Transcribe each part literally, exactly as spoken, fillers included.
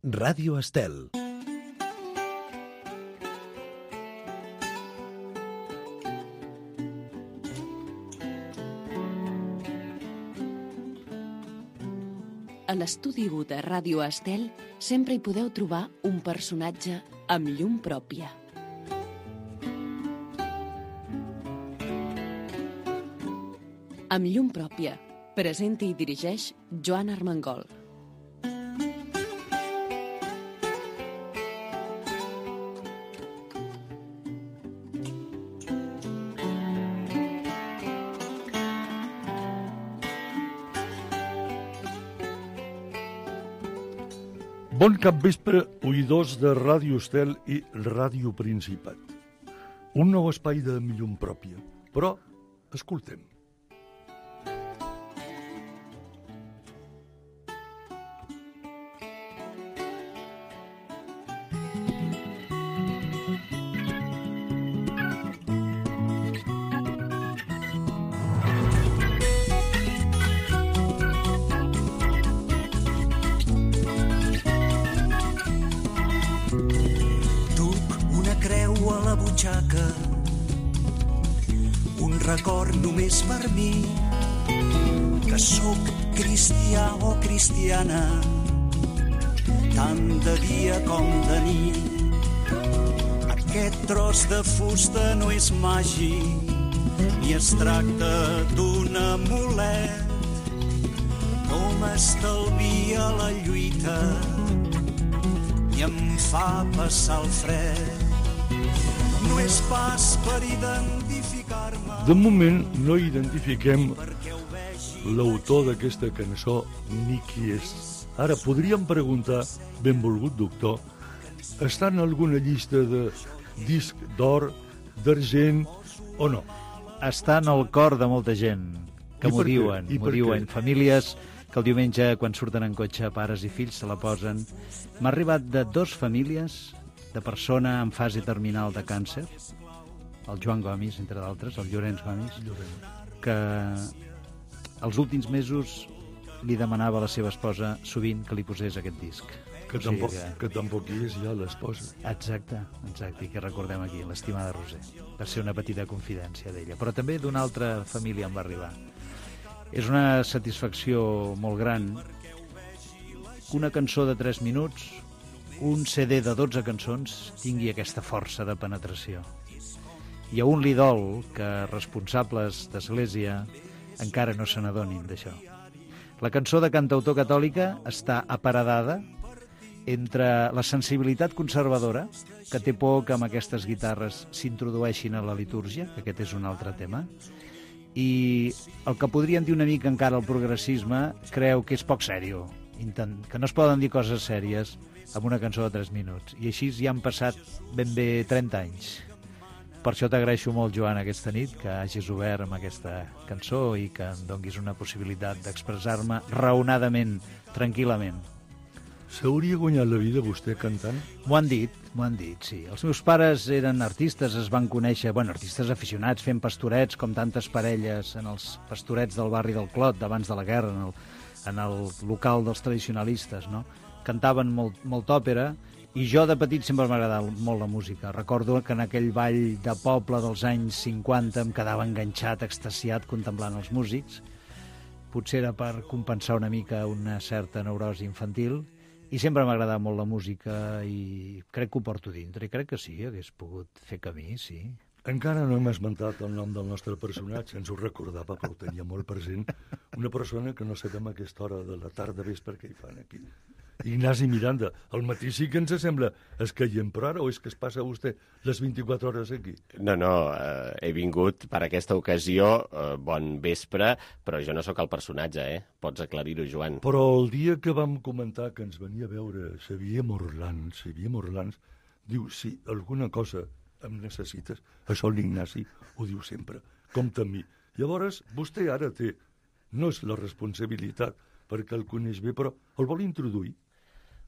Ràdio Estel. A l'estudi u de Ràdio Estel sempre hi podeu trobar un personatge amb llum pròpia. Amb llum pròpia, presenta i dirigeix Joan Armengol. Bon capvespre, oïdors de Ràdio Estel i Ràdio Principat. Un nou espai de llum pròpia, però escoltem. Un record només per mi, que sóc cristià o cristiana, tant de dia com de nit. Aquest tros de fusta no és màgic, ni es tracta d'un amulet. No m'estalvia la lluita, ni em fa passar el fred. No és pas per identificar-me. De moment no identifiquem l'autor d'aquesta cançó ni qui és. Ara podríem preguntar, benvolgut doctor, està en alguna llista de disc d'or, d'argent o no? Està en el cor de molta gent, que m'ho diuen, m'ho diuen. Famílies que el diumenge, quan surten en cotxe, pares i fills se la posen. M'ha arribat de dos famílies de persona en fase terminal de càncer, el Joan Gomis, entre d'altres, el Llorenç Gomis, que els últims mesos li demanava a la seva esposa sovint que li posés aquest disc. Que, o sigui tampoc, que... que tampoc hi és ja l'esposa. Exacte, exacte, i que recordem aquí, l'estimada Roser. Per ser una petita confidència d'ella. Però també d'una altra família em va arribar. És una satisfacció molt gran que una cançó de tres minuts, un ce de de dotze cançons tingui aquesta força de penetració. I a un li dol que responsables d'Església encara no se n'adonin d'això. La cançó de cantautor catòlica està aparedada entre la sensibilitat conservadora, que té por que amb aquestes guitarres s'introdueixin a la litúrgia, que aquest és un altre tema, i el que podríem dir una mica encara el progressisme creu que és poc sèrio, que no es poden dir coses sèries amb una cançó de tres minuts. I així ja han passat ben bé trenta anys. Per això t'agraeixo molt, Joan, aquesta nit, que hagis obert amb aquesta cançó i que em donguis una possibilitat d'expressar-me raonadament, tranquil·lament. S'hauria guanyat la vida vostè cantant? M'ho han dit, m'ho han dit, sí. Els meus pares eren artistes, es van conèixer, bueno, artistes aficionats, fent pastorets, com tantes parelles en els pastorets del barri del Clot, d'abans de la guerra, en el, en el local dels tradicionalistes, no? Cantaven molt, molt òpera, i jo de petit sempre m'ha agradat molt la música. Recordo que en aquell ball de poble dels anys cinquanta em quedava enganxat, extasiat, contemplant els músics. Potser era per compensar una mica una certa neurosi infantil, i sempre m'ha agradat molt la música i crec que ho porto dintre, i crec que sí, hagués pogut fer camí, sí. Encara no hem esmentat el nom del nostre personatge, ens ho recordava, però ho tenia molt present. Una persona que no sabem a aquesta hora de la tarda vespre que hi fan aquí. Ignasi Miranda, al matí sí que ens sembla escaient, però ara o és que es passa vostè les vint-i-quatre hores aquí? No, no, eh, he vingut per aquesta ocasió, eh, bon vespre, però jo no sóc el personatge, eh? Pots aclarir-ho, Joan. Però el dia que vam comentar que ens venia a veure Xavier Morlans, Xavier Morlans, diu, si alguna cosa em necessites, això l'Ignasi ho diu sempre, compta amb mi. Llavors, vostè ara té, no és la responsabilitat, perquè el coneix bé, però el vol introduir.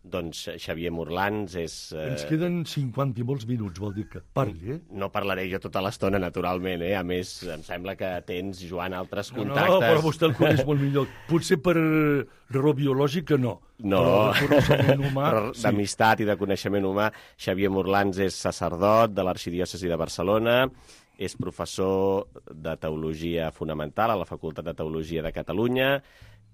doncs Xavier Morlans és... Eh... Ens queden cinquanta i molts minuts, vol dir que parli, eh? No parlaré jo tota l'estona, naturalment, eh? A més, em sembla que tens, Joan, altres contactes... No, no, però vostè el coneix molt millor. Potser per raó biològica, no. No, però d'amistat sí. I de coneixement humà. Xavier Morlans és sacerdot de l'Arxidiòcesi de Barcelona, és professor de Teologia Fonamental a la Facultat de Teologia de Catalunya,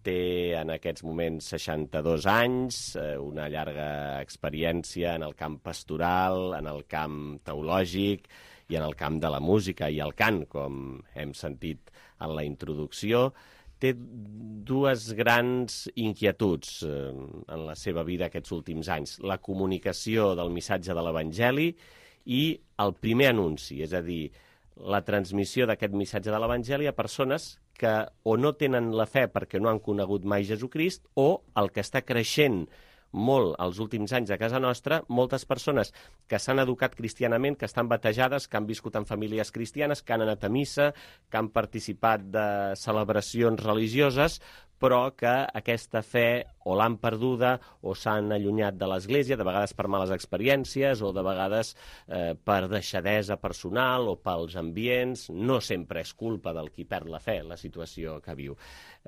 té en aquests moments seixanta-dos anys, una llarga experiència en el camp pastoral, en el camp teològic i en el camp de la música i el cant, com hem sentit en la introducció. Té dues grans inquietuds en la seva vida aquests últims anys. La comunicació del missatge de l'Evangeli i el primer anunci, és a dir, la transmissió d'aquest missatge de l'Evangeli a persones que o no tenen la fe perquè no han conegut mai Jesucrist, o el que està creixent molt els últims anys a casa nostra, moltes persones que s'han educat cristianament, que estan batejades, que han viscut en famílies cristianes, que han anat a missa, que han participat de celebracions religioses, però que aquesta fe o l'han perduda o s'han allunyat de l'Església, de vegades per males experiències o de vegades eh, per deixadesa personal o pels ambients. No sempre és culpa del qui perd la fe, la situació que viu.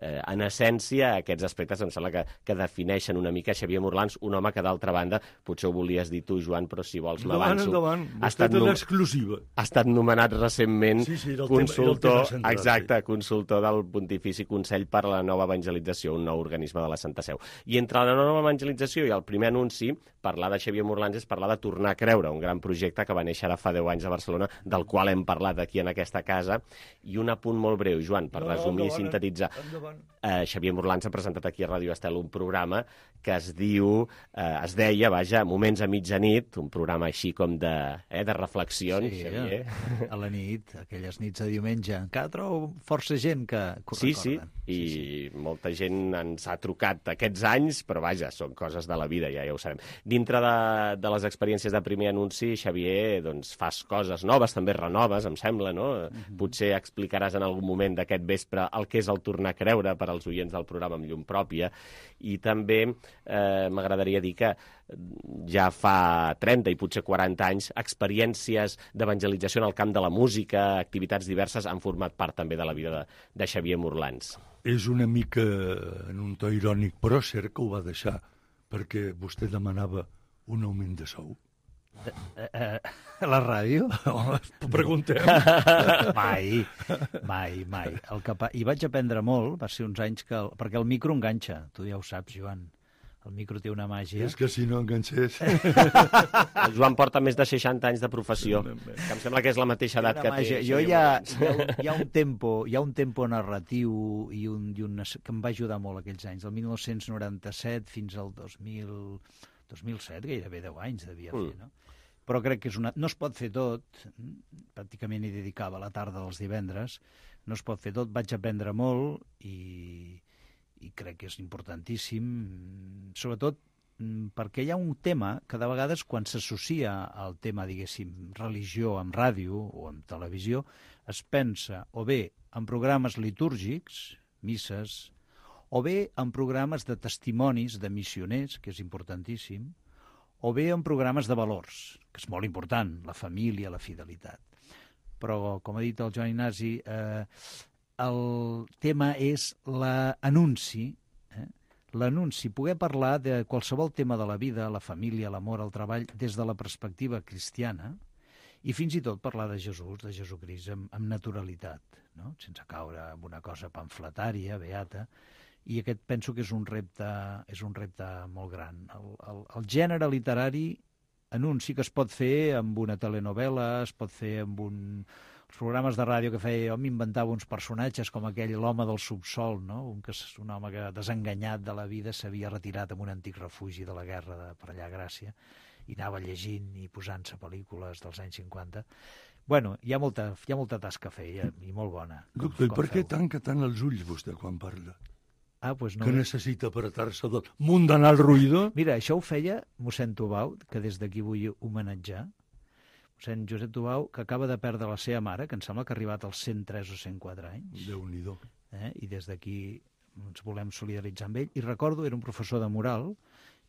Eh, en essència, aquests aspectes em sembla que, que defineixen una mica Xavier Morlans, un home que, d'altra banda, potser ho volies dir tu, Joan, però si vols m'avanço. Endavant, endavant. Vostè té l'exclusiva. Ha estat nomenat recentment sí, sí, consultor, tema, central, exacte, sí. consultor del Pontifici Consell per a la Nova Evangelització, un nou organisme de la Santa Seu. I entre la nova evangelització i el primer anunci, parlar de Xavier Morlans és parlar de tornar a creure, un gran projecte que va néixer ara fa deu anys a Barcelona, del qual hem parlat aquí en aquesta casa. I un apunt molt breu, Joan, per no, resumir i sintetitzar. Eh, Xavier Morlans ha presentat aquí a Ràdio Estel un programa que es diu, eh, es deia, vaja, Moments a mitjanit, un programa així com de, eh, de reflexions, sí, Xavier. A la nit, aquelles nits de diumenge. Encara trobo força gent que, que ho sí, recorden. Sí, i sí, sí. molta gent ens ha trucat aquests anys, però vaja, són coses de la vida, ja, ja ho sabem. Dintre de, de les experiències de primer anunci, Xavier, doncs fas coses noves, també renoves, em sembla, no? Mm-hmm. Potser explicaràs en algun moment d'aquest vespre el que és el tornar a creure per als oients del programa amb llum pròpia, i també eh, m'agradaria dir que ja fa trenta i potser quaranta anys experiències d'evangelització en el camp de la música, activitats diverses, han format part també de la vida de, de Xavier Morlans. És una mica en un to irònic, però cert que ho va deixar, perquè vostè demanava un augment de sou. Eh, eh, a la ràdio? Home, preguntem. Mai, mai, mai. El que pa... I vaig aprendre molt, va ser uns anys que... El... Perquè el micro enganxa, tu ja ho saps, Joan. El micro té una màgia. És que si no enganxés... El Joan porta més de seixanta anys de professió, que em sembla que és la mateixa edat que té. Jo hi ha, hi, ha un, hi, ha un tempo, hi ha un tempo narratiu i un, i un, que em va ajudar molt aquells anys, del dinou noranta-set fins al dos mil, dos mil set, gairebé deu anys devia fer, no? Però crec que és una... no es pot fer tot, pràcticament hi dedicava la tarda dels divendres, no es pot fer tot, vaig aprendre molt i... i crec que és importantíssim, sobretot perquè hi ha un tema que de vegades quan s'associa al tema, diguéssim, religió amb ràdio o amb televisió, es pensa o bé en programes litúrgics, misses, o bé en programes de testimonis de missioners, que és importantíssim, o bé en programes de valors, que és molt important, la família, la fidelitat. Però, com ha dit el Joan Ignasi, eh, el tema és l'anunci, eh? l'anunci, poder parlar de qualsevol tema de la vida, la família, l'amor, el treball, des de la perspectiva cristiana, i fins i tot parlar de Jesús, de Jesucrist, amb, amb naturalitat, no? Sense caure en una cosa pamfletària, beata, i aquest penso que és un repte, és un repte molt gran. El, el, el gènere literari anunci que es pot fer amb una telenovela, es pot fer amb un... els programes de ràdio que feia, jo m'inventava uns personatges com aquell, l'home del subsol, no? un, que, un home que, desenganyat de la vida, s'havia retirat en un antic refugi de la guerra de, per allà a Gràcia, i anava llegint i posant-se pel·lícules dels anys cinquanta. Bueno, hi ha molta, hi ha molta tasca a fer, i, i molt bona. Doctor, i per què tanca tant els ulls vostè quan parla? Ah, pues no. Que necessita apretar-se del mundanal ruïdo? Mira, això ho feia mossèn Tubau, que des d'aquí vull homenatjar. Mossèn Josep Tubau, que acaba de perdre la seva mare, que em sembla que ha arribat als cent tres o cent quatre anys. Déu-n'hi-do. Eh? I des d'aquí ens volem solidaritzar amb ell. I recordo, era un professor de moral,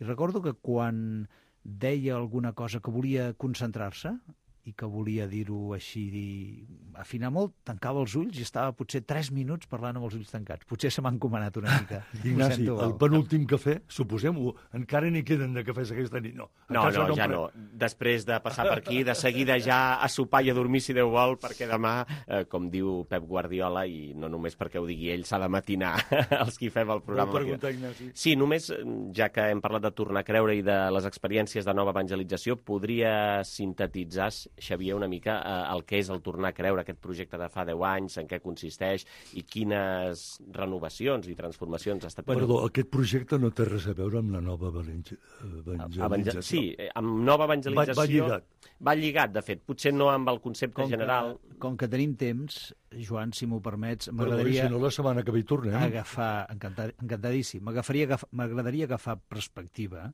I recordo que quan deia alguna cosa que volia concentrar-se i que volia dir-ho així, dir, afinar molt, tancava els ulls i estava potser tres minuts parlant amb els ulls tancats. Potser se m'ha encomanat una mica. Ignasi, el penúltim cafè, suposem-ho, encara n'hi queden de cafès aquesta nit, no? No, no, no ja no. Després de passar per aquí, de seguida ja a sopar i a dormir, si Déu vol, perquè demà, eh, com diu Pep Guardiola, i no només perquè ho digui ell, s'ha de matinar els qui fem el programa. Vol preguntar, Ignasi? Sí, només, ja que hem parlat de tornar a creure i de les experiències de nova evangelització, podria sintetitzar, Xavier, una mica eh, el que és el tornar a creure, aquest projecte de fa deu anys, en què consisteix i quines renovacions i transformacions ha estat... Perdó, aquest projecte no té res a veure amb la nova evangelització. Evangel... Sí, amb nova evangelització... Va, va lligat. Va lligat, de fet. Potser no amb el concepte com general... Que, com que tenim temps, Joan, si m'ho permets, m'agradaria... Si no, la setmana que ve hi tornem. Agafar, encantad, encantadíssim, m'agradaria agafar perspectiva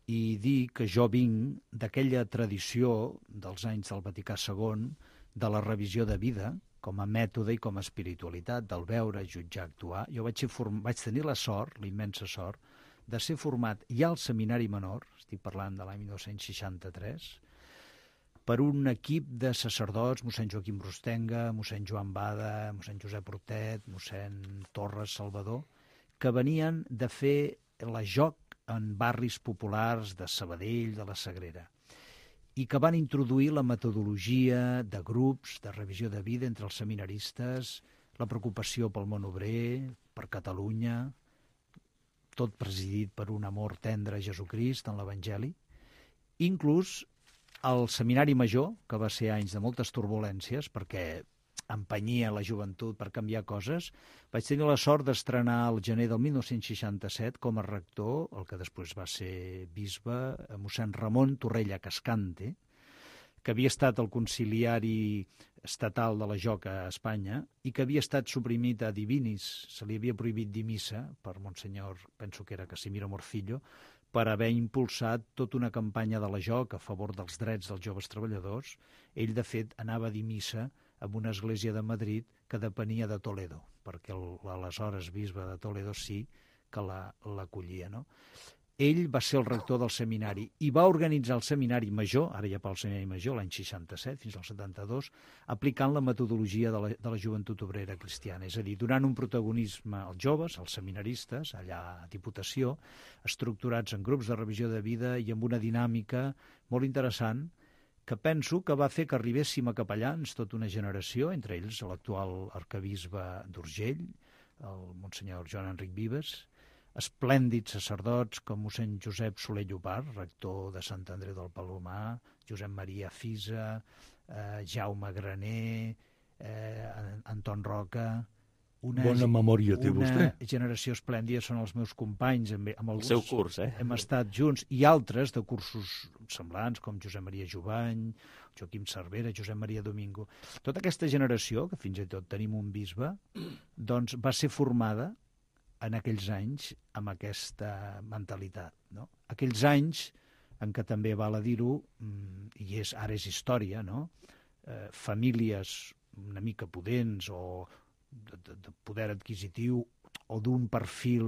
i dir que jo vinc d'aquella tradició dels anys del Vaticà segon, de la revisió de vida, com a mètode i com a espiritualitat, del veure, jutjar, actuar. Jo vaig, ser form... vaig tenir la sort, la immensa sort, de ser format ja al Seminari Menor, estic parlant de l'any dinou seixanta-tres, per un equip de sacerdots, mossèn Joaquim Rostenga, mossèn Joan Bada, mossèn Josep Hortet, mossèn Torres Salvador, que venien de fer la joc en barris populars de Sabadell, de la Sagrera, i que van introduir la metodologia de grups, de revisió de vida entre els seminaristes, la preocupació pel món obrer, per Catalunya, tot presidit per un amor tendre a Jesucrist en l'Evangeli. Inclús el Seminari Major, que va ser anys de moltes turbulències, perquè empenyia la joventut per canviar coses, vaig tenir la sort d'estrenar al gener del dinou seixanta-set com a rector, el que després va ser bisbe, mossèn Ramon Torrella Cascante, que havia estat el conciliari estatal de la Joca a Espanya i que havia estat suprimit a Divinis, se li havia prohibit dir missa per Monsenyor, penso que era Casimiro Morcillo, per haver impulsat tota una campanya de la Joc a favor dels drets dels joves treballadors. Ell, de fet, anava a dir missa en una església de Madrid que depenia de Toledo, perquè l'aleshores bisbe de Toledo sí que l'acollia, no? Ell va ser el rector del seminari i va organitzar el seminari major, ara ja pel seminari major, l'any seixanta-set fins al setanta-dos, aplicant la metodologia de la, de la joventut obrera cristiana, és a dir, donant un protagonisme als joves, als seminaristes, allà a Diputació, estructurats en grups de revisió de vida i amb una dinàmica molt interessant, que penso que va fer que arribéssim a capellans tota una generació, entre ells l'actual arquebisbe d'Urgell, el monsenyor Joan Enric Vives, esplèndids sacerdots com mossèn Josep Soler Llopart, rector de Sant Andreu del Palomar, Josep Maria Fisa, eh, Jaume Graner, eh, Anton Roca... Una, Bona memòria té vostè. Una generació esplèndida són els meus companys. Amb, amb el seu curs, eh? Hem estat junts, i altres de cursos semblants, com Josep Maria Jovany, Joaquim Cervera, Josep Maria Domingo. Tota aquesta generació, que fins i tot tenim un bisbe, doncs va ser formada en aquells anys amb aquesta mentalitat, no? Aquells anys en què també val a dir-ho, i és, ara és història, no? Eh, famílies una mica pudents o de, de, de poder adquisitiu o d'un perfil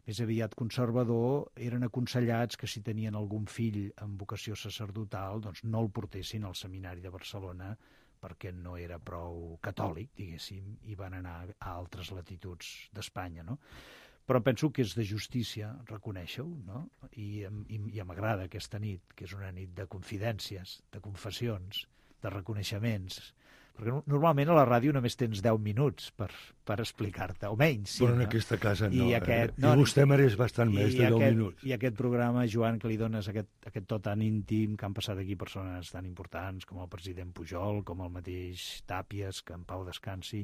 més aviat conservador, eren aconsellats que si tenien algun fill amb vocació sacerdotal, doncs no el portessin al seminari de Barcelona perquè no era prou catòlic, diguéssim, i van anar a altres latituds d'Espanya, no? Però penso que és de justícia reconèixer-ho, no? I, i, i m'agrada aquesta nit, que és una nit de confidències, de confessions, de reconeixements, perquè normalment a la ràdio només tens deu minuts per, per explicar-te, o menys. Sí, però en no? aquesta casa no. I, aquest, eh? no, I vostè mereix bastant més de deu aquest, minuts. I aquest programa, Joan, que li dones aquest, aquest to tan íntim, que han passat aquí persones tan importants com el president Pujol, com el mateix Tàpies, que en pau descansi,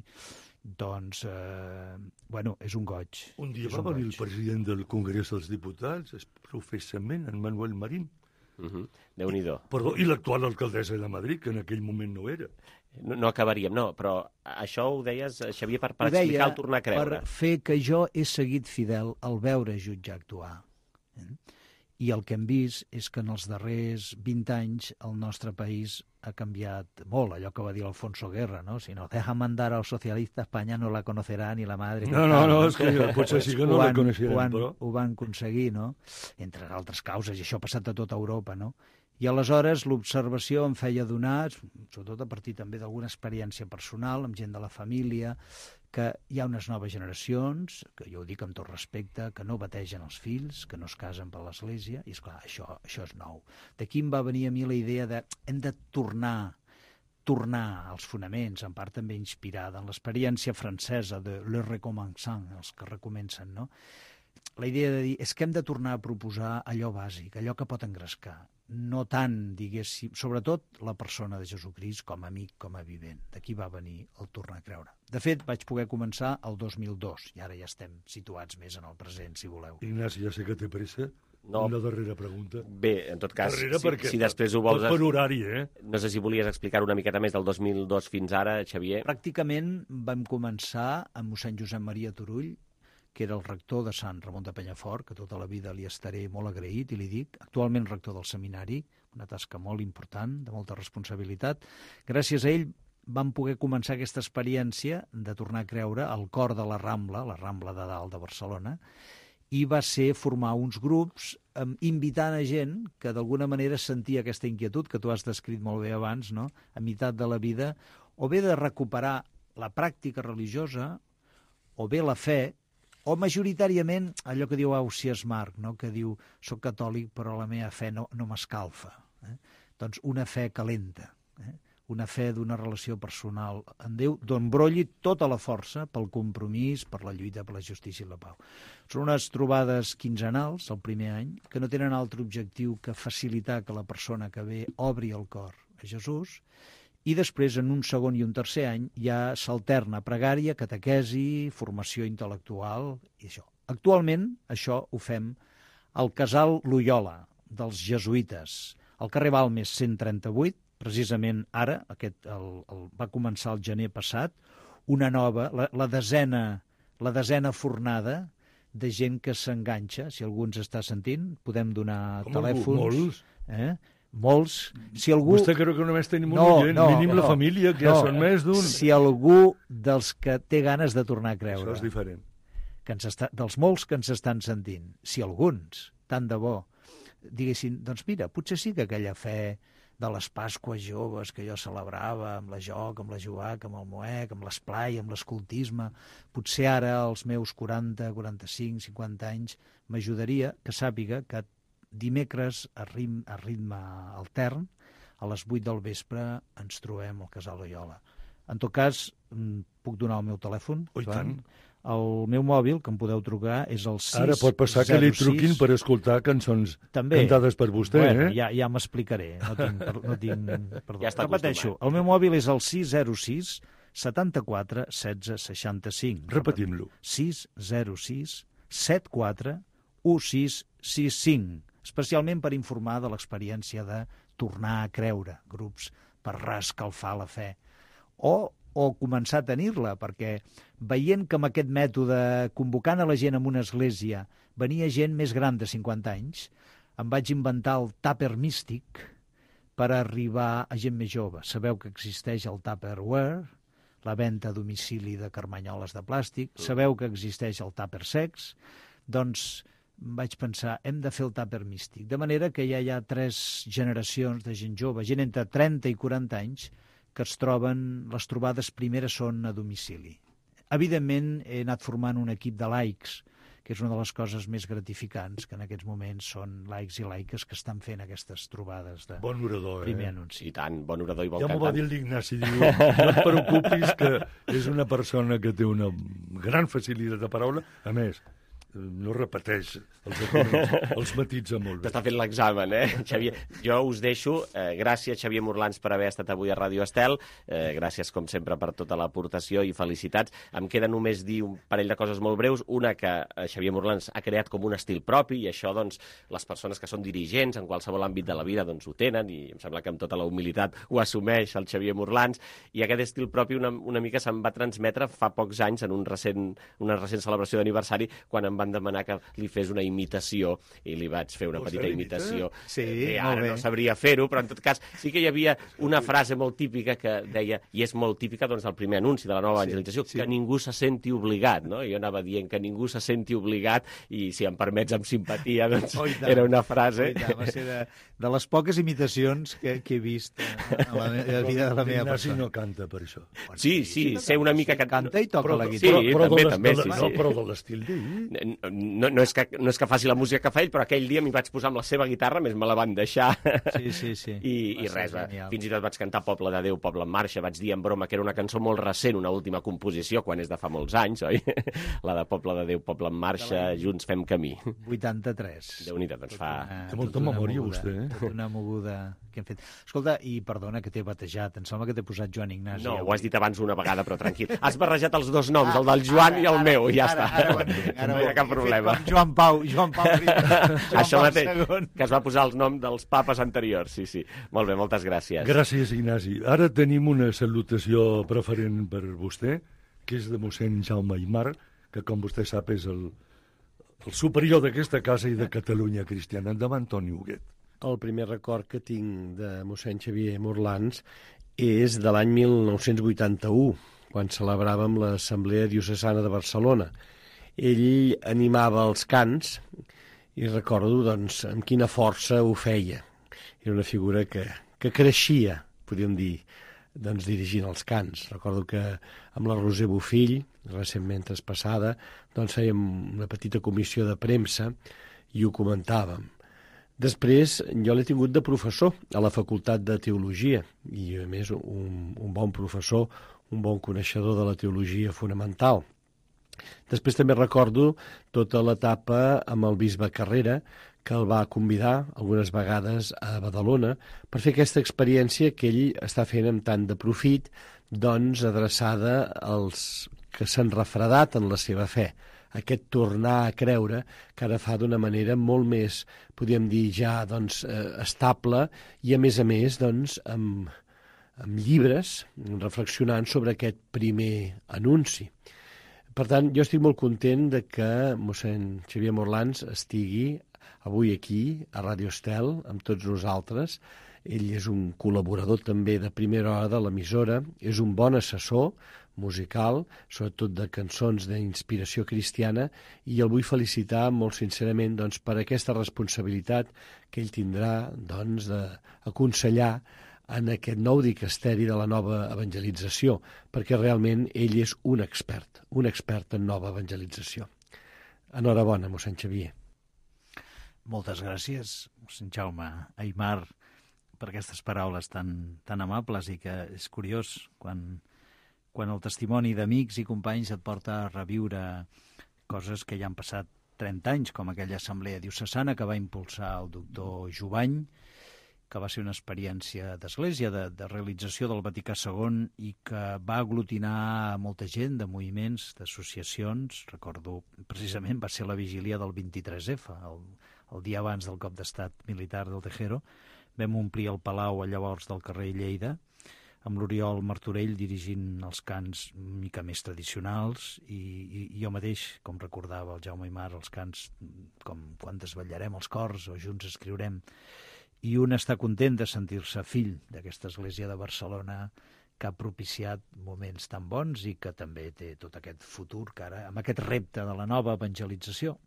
doncs, eh, bueno, és un goig. Un dia és va un venir goig. el president del Congrés dels Diputats, professament, en Manuel Marín. Uh -huh. Déu-n'hi-do. Perdó, i l'actual alcaldessa de Madrid, que en aquell moment no era. No, no acabaríem, no, però això ho deies, Xavier, per, per Ho deia, explicar el tornar a creure. Per fer que jo he seguit fidel al veure jutjar actuar. Eh? I el que hem vist és que en els darrers vint anys el nostre país ha canviat molt, allò que va dir Alfonso Guerra, no? Si nos dejan mandar al socialista, Espanya no la conocerà ni la madre. No, no, no, és que potser sí que no la coneixerem, però... Ho van aconseguir, no? Entre altres causes, i això ha passat a tota Europa, no? I aleshores l'observació em feia donar, sobretot a partir també d'alguna experiència personal, amb gent de la família, que hi ha unes noves generacions, que jo ho dic amb tot respecte, que no bategen els fills, que no es casen per l'Església, i esclar, això, això és nou. D'aquí em va venir a mi la idea de hem de tornar, tornar als fonaments, en part també inspirada en l'experiència francesa de Le Recommençant, els que recomencen, no? La idea de dir, és que hem de tornar a proposar allò bàsic, allò que pot engrescar. No tant, diguéssim, sobretot la persona de Jesucrist com a amic, com a vivent. D'aquí va venir el tornar a creure. De fet, vaig poder començar el dos mil dos, i ara ja estem situats més en el present, si voleu. Ignasi, ja sé que té pressa. No. Una darrera pregunta. Bé, en tot cas, darrere si, perquè, si després ho vols... Per horari, eh? No sé si volies explicar una miqueta més del dos mil dos fins ara, Xavier. Pràcticament vam començar amb mossèn Josep Maria Turull, que era el rector de Sant Ramon de Penyafort, que tota la vida li estaré molt agraït, i li dic, actualment rector del seminari, una tasca molt important, de molta responsabilitat. Gràcies a ell vam poder començar aquesta experiència de tornar a creure al cor de la Rambla, la Rambla de Dalt de Barcelona, i va ser formar uns grups eh, invitant a gent que d'alguna manera sentia aquesta inquietud que tu has descrit molt bé abans, no? A meitat de la vida, o bé de recuperar la pràctica religiosa, o bé la fe, o majoritàriament allò que diu Ausiàs Marc, no? Que diu, soc catòlic però la meva fe no, no m'escalfa. Eh? Doncs una fe calenta, eh? Una fe d'una relació personal en Déu, d'on brolli tota la força pel compromís, per la lluita, per la justícia i la pau. Són unes trobades quinzenals, el primer any, que no tenen altre objectiu que facilitar que la persona que ve obri el cor a Jesús, i després, en un segon i un tercer any, ja s'alterna pregària, catequesi, formació intel·lectual i això. Actualment, això ho fem al Casal Loyola, dels jesuïtes, al carrer Balmes cent trenta-vuit, precisament ara, aquest, el, el, va començar el gener passat, una nova, la, la, desena, la desena fornada de gent que s'enganxa. Si algú ens està sentint, podem donar Com telèfons. Algú, molts? Eh? Molts. Si algú... Vostè creu que només tenim un no, oient, no, mínim no, la família, que no. ja són més d'un. Si algú dels que té ganes de tornar a creure, Això és diferent. que ens està, dels molts que ens estan sentint, si alguns, tant de bo, diguessin, doncs mira, potser sí que aquella fe de les Pasques joves que jo celebrava, amb la joc, amb la juac, amb el moec, amb l'esplai, amb l'escoltisme, potser ara, als meus quaranta, quaranta-cinc, cinquanta anys, m'ajudaria que sàpiga que dimecres a, rim, a ritme altern, a les vuit del vespre ens trobem al Casal Loyola. En tot cas, puc donar el meu telèfon? Oh, i tant. El meu mòbil, que em podeu trucar, és el sis zero sis... Ara pot passar que li truquin per escoltar cançons També. cantades per vostè, bueno, eh? Ja, ja m'explicaré. No tinc, no tinc... Perdó. Ja està Repeteixo, el meu mòbil és el sis zero sis setanta-quatre setze seixanta-cinc. Repetim-lo. sis zero sis setanta-quatre setze seixanta-cinc. Especialment per informar de l'experiència de tornar a creure, grups per reescalfar la fe. O, o començar a tenir-la, perquè veient que amb aquest mètode, convocant a la gent en una església, venia gent més gran de cinquanta anys, em vaig inventar el tàper místic per arribar a gent més jove. Sabeu que existeix el Tupperware, la venda a domicili de carmanyoles de plàstic, sabeu que existeix el tàper sex, doncs vaig pensar, hem de fer el tàper místic. De manera que ja hi ha tres generacions de gent jove, gent entre trenta i quaranta anys, que es troben, les trobades primeres són a domicili. Evidentment, he anat formant un equip de laics, que és una de les coses més gratificants, que en aquests moments són laics i laiques que estan fent aquestes trobades de bon orador, primer eh? anunci. I tant, bon orador i bon ja cantant. m'ho va dir l'Ignasi, diu, no et preocupis, que és una persona que té una gran facilitat de paraula. A més, no repeteix els, els matitza molt bé. T'està fent l'examen, eh, Xavier? Jo us deixo. Eh, gràcies, Xavier Morlans, per haver estat avui a Ràdio Estel. Eh, gràcies, com sempre, per tota l'aportació i felicitats. Em queda només dir un parell de coses molt breus. Una, que eh, Xavier Morlans ha creat com un estil propi, i això, doncs, les persones que són dirigents en qualsevol àmbit de la vida, doncs, ho tenen, i em sembla que amb tota la humilitat ho assumeix el Xavier Morlans. I aquest estil propi una, una mica se'm va transmetre fa pocs anys en un recent, una recent celebració d'aniversari, quan em van van demanar que li fes una imitació i li vaig fer una Vols petita fer imitació. Sí, eh, molt ara bé. no sabria fer-ho, però en tot cas sí que hi havia una frase molt típica que deia, i és molt típica doncs, del primer anunci de la nova evangelització, sí. que ningú se senti obligat, no? Jo anava dient que ningú se senti obligat i, si em permets, amb simpatia, doncs Oh, era una frase. Oh, va ser de, de les poques imitacions que, que he vist a la, me- a la vida de la meva L'Ignasi persona. no canta per això. Sí, sí, sé una mica que... Canta i toca Però, la sí, guitarra. però, també, de les- també, de, sí, no, sí. però de l'estil d'ell. No, no, és que, no és que faci la música que fa ell, però aquell dia m'hi vaig posar amb la seva guitarra, més me la van deixar. Sí, sí, sí. I, Va i ser res, va. genial. Fins i tot vaig cantar Poble de Déu, Poble en Marxa, vaig dir en broma que era una cançó molt recent, una última composició, quan és de fa molts anys, oi? La de Poble de Déu, Poble en Marxa, Junts fem camí. vuitanta-tres. Déu-n'hi-do, doncs fa... Una- Té molta tota una memòria, moguda, vostè, eh? Tota una moguda que hem fet. Escolta, i perdona que t'he batejat, em sembla que t'he posat Joan Ignasi. No, avui. ho has dit abans una vegada, però tranquil. Has barrejat els dos noms, el del Joan i el meu, i ja ara, està. Ara ho entenc, ara No ho hi ha cap entenc. He fet problema. com Joan Pau, Joan Pau, Joan Això Pau mateix, segon. que es va posar el nom dels papes anteriors, sí, sí. Molt bé, moltes gràcies. Gràcies, Ignasi. Ara tenim una salutació preferent per vostè, que és de mossèn Jaume Aimar, que, com vostè sap, és el, el superior d'aquesta casa i de Catalunya Cristiana. Endavant, Toni Huguet. El primer record que tinc de mossèn Xavier Morlans és de l'any mil nou-cents vuitanta-u, quan celebràvem l'Assemblea Diocesana de Barcelona. Ell animava els cants i recordo doncs, amb quina força ho feia. Era una figura que, que creixia, podríem dir, doncs, dirigint els cants. Recordo que amb la Roser Bofill, recentment traspassada, doncs fèiem una petita comissió de premsa i ho comentàvem. Després, jo l'he tingut de professor a la Facultat de Teologia i, a més, un, un bon professor, un bon coneixedor de la teologia fonamental. Després també recordo tota l'etapa amb el bisbe Carrera, que el va convidar algunes vegades a Badalona per fer aquesta experiència que ell està fent amb tant de profit, doncs adreçada als que s'han refredat en la seva fe. Aquest tornar a creure que ara fa d'una manera molt més, podríem dir, ja doncs, eh, estable i, a més a més, doncs, amb, amb llibres, reflexionant sobre aquest primer anunci. Per tant, jo estic molt content de que mossèn Xavier Morlans estigui avui aquí, a Ràdio Estel, amb tots nosaltres. Ell és un col·laborador també de primera hora de l'emissora, és un bon assessor musical, sobretot de cançons d'inspiració cristiana, i el vull felicitar molt sincerament doncs, per aquesta responsabilitat que ell tindrà doncs, d'aconsellar en aquest nou dicasteri de la nova evangelització, perquè realment ell és un expert, un expert en nova evangelització. Enhorabona, mossèn Xavier. Moltes gràcies, mossèn Jaume Aimar, per aquestes paraules tan, tan amables, i que és curiós quan, quan el testimoni d'amics i companys et porta a reviure coses que ja han passat trenta anys, com aquella assemblea diocesana que va impulsar el doctor Jubany, que va ser una experiència d'església, de, de realització del Vaticà segon, i que va aglutinar molta gent de moviments, d'associacions. Recordo, precisament, va ser la vigília del vint-i-tres efa, el, el dia abans del cop d'estat militar del Tejero. Vam omplir el Palau llavors del carrer Lleida, amb l'Oriol Martorell dirigint els cants una mica més tradicionals, i, i, i jo mateix, com recordava el Jaume Aimar, els cants com Quan desvetllarem els cors o Junts escriurem. I un està content de sentir-se fill d'aquesta església de Barcelona que ha propiciat moments tan bons i que també té tot aquest futur que ara, amb aquest repte de la nova evangelització.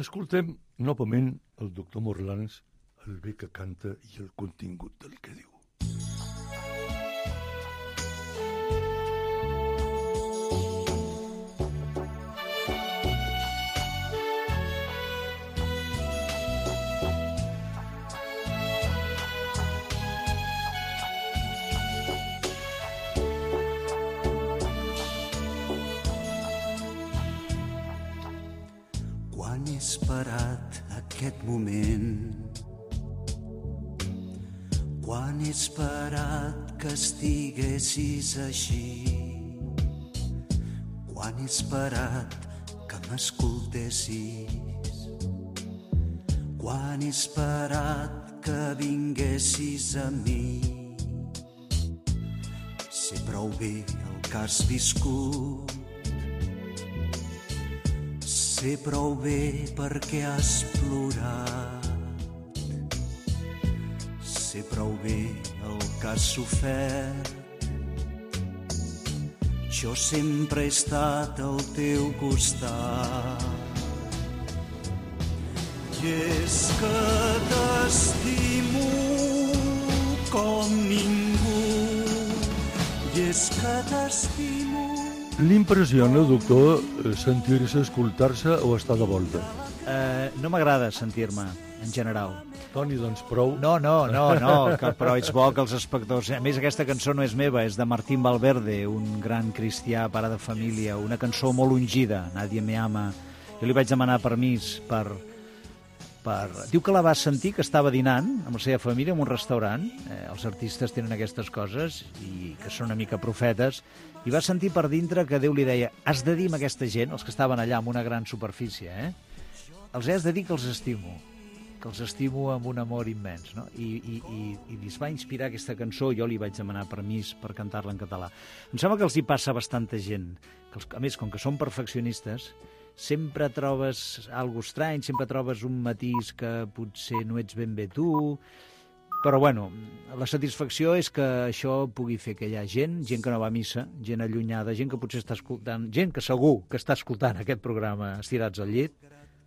Escoltem novament el doctor Morlans, el bé que canta i el contingut del que diu. Quan he esperat aquest moment, quan he esperat que estiguessis així, quan he esperat que m'escoltessis, quan he esperat que vinguessis a mi. Sé prou bé el que has viscut, sé Sé prou bé perquè has plorat, sé prou bé el que has sofert. Jo sempre he estat al teu costat. I és que t'estimo com ningú, i és que t'estimo. L'impressiona, doctor, sentir-se, escoltar-se o estar de volta? Uh, no m'agrada sentir-me, en general. Toni, doncs prou. No, no, no, no, que, però és bo que els espectadors... A més, aquesta cançó no és meva, és de Martín Valverde, un gran cristià, pare de família, una cançó molt ungida, Nadie me ama. Jo li vaig demanar permís per... per... Diu que la va sentir, que estava dinant amb la seva família en un restaurant. Eh, els artistes tenen aquestes coses i que són una mica profetes. I va sentir per dintre que Déu li deia: has de dir a aquesta gent, els que estaven allà amb una gran superfície, eh? els has de dir que els estimo, que els estimo amb un amor immens, no? I, i, i, i es va inspirar aquesta cançó, jo li vaig demanar permís per cantar-la en català. Em sembla que els hi passa a bastanta gent, que els, a més, com que són perfeccionistes, sempre trobes alguna estrany, sempre trobes un matís que potser no ets ben bé tu, però bueno, la satisfacció és que això pugui fer que hi ha gent, gent que no va a missa, gent allunyada, gent que potser està escoltant, gent que segur que està escoltant aquest programa estirats al llit,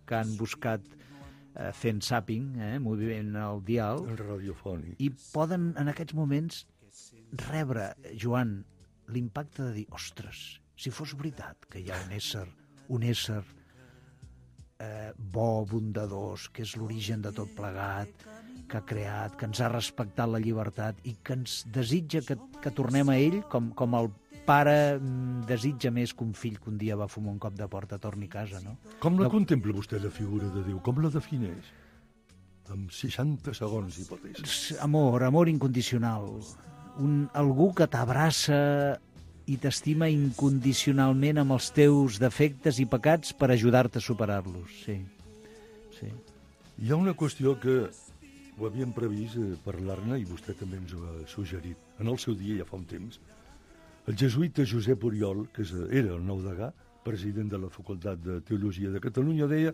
que han buscat eh, fent zapping, eh, moviment al dial, radiofònic, i poden en aquests moments rebre, Joan, l'impacte de dir: ostres, si fos veritat que hi ha un ésser, un ésser eh, bo, bondadós, que és l'origen de tot plegat, que ha creat, que ens ha respectat la llibertat i que ens desitja que, que tornem a ell com, com el pare desitja més que un fill que un dia va fumar un cop de porta torni a casa, no? Com la no... contempla vostè, la figura de Déu? Com la defineix? Amb seixanta segons, hipòtesi. Amor, amor incondicional. Un, algú que t'abraça i t'estima incondicionalment amb els teus defectes i pecats per ajudar-te a superar-los, sí. sí. Hi ha una qüestió que ho havíem previst eh, parlar-ne i vostè també ens ho ha suggerit. En el seu dia, ja fa un temps, el jesuïta Josep Oriol, que era el nou degà, president de la Facultat de Teologia de Catalunya, deia: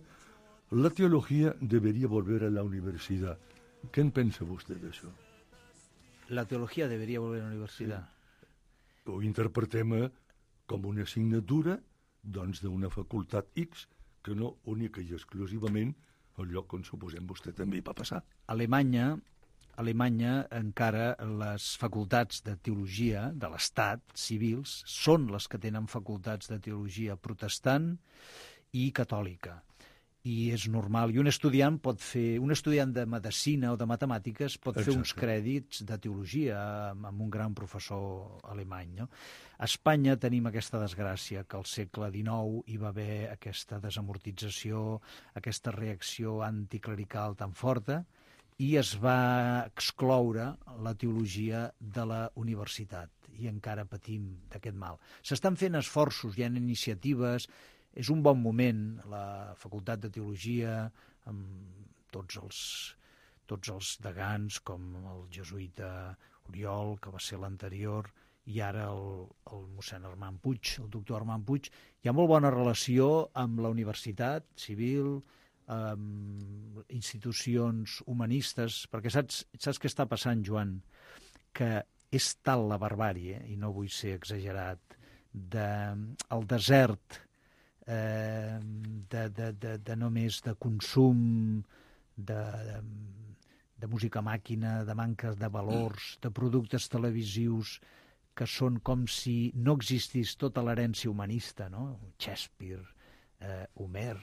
la teologia debería volver a la universidad. Què en pensa vostè d'això? La teologia debería volver a la universitat. Sí. Ho interpretem com una assignatura doncs d'una facultat X, que no única i exclusivament el lloc on suposem vostè també hi va passar. A Alemanya, a Alemanya encara les facultats de teologia de l'Estat, civils, són les que tenen facultats de teologia protestant i catòlica. I és normal. I un estudiant pot fer, un estudiant de medicina o de matemàtiques pot Exacte. fer uns crèdits de teologia amb un gran professor alemany, no? A Espanya tenim aquesta desgràcia, que al segle dinou hi va haver aquesta desamortització, aquesta reacció anticlerical tan forta, i es va excloure la teologia de la universitat. I encara patim d'aquest mal. S'estan fent esforços, hi ha iniciatives. És un bon moment, la Facultat de Teologia, amb tots els, tots els degans, com el jesuïta Oriol, que va ser l'anterior, i ara el, el mossèn Armand Puig, el doctor Armand Puig. Hi ha molt bona relació amb la universitat civil, amb institucions humanistes, perquè saps, saps què està passant, Joan? Que és tal la barbàrie, i no vull ser exagerat, de, el desert Eh, de, de, de, de només de consum, de, de, de música màquina, de manca de valors, de productes televisius que són com si no existís tota l'herència humanista, no? Shakespeare, eh, Homer,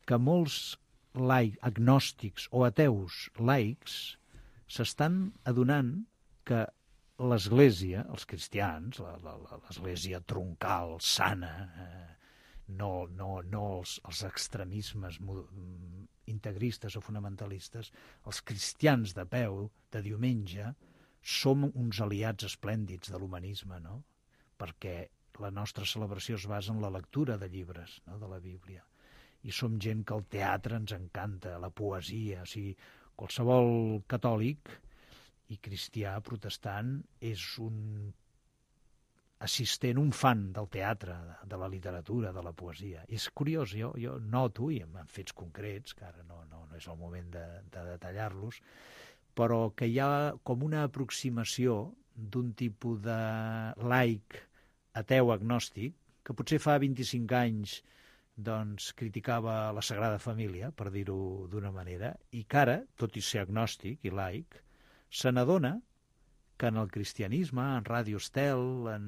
que molts laics, agnòstics o ateus laics s'estan adonant que l'Església, els cristians, l'Església troncal, sana, eh, no, no, no els, els extremismes integristes o fonamentalistes, els cristians de peu, de diumenge, som uns aliats esplèndids de l'humanisme, no? Perquè la nostra celebració es basa en la lectura de llibres, no? De la Bíblia. I som gent que el teatre ens encanta, la poesia, o sigui, qualsevol catòlic i cristià protestant és un assistent, un fan del teatre, de, de la literatura, de la poesia. És curiós, jo, jo noto, i amb fets concrets, que ara no, no, no és el moment de, de detallar-los, però que hi ha com una aproximació d'un tipus de laic ateu agnòstic, que potser fa vint-i-cinc anys doncs, criticava la Sagrada Família, per dir-ho d'una manera, i que ara, tot i ser agnòstic i laic, se n'adona que en el cristianisme, en Ràdio Estel, en,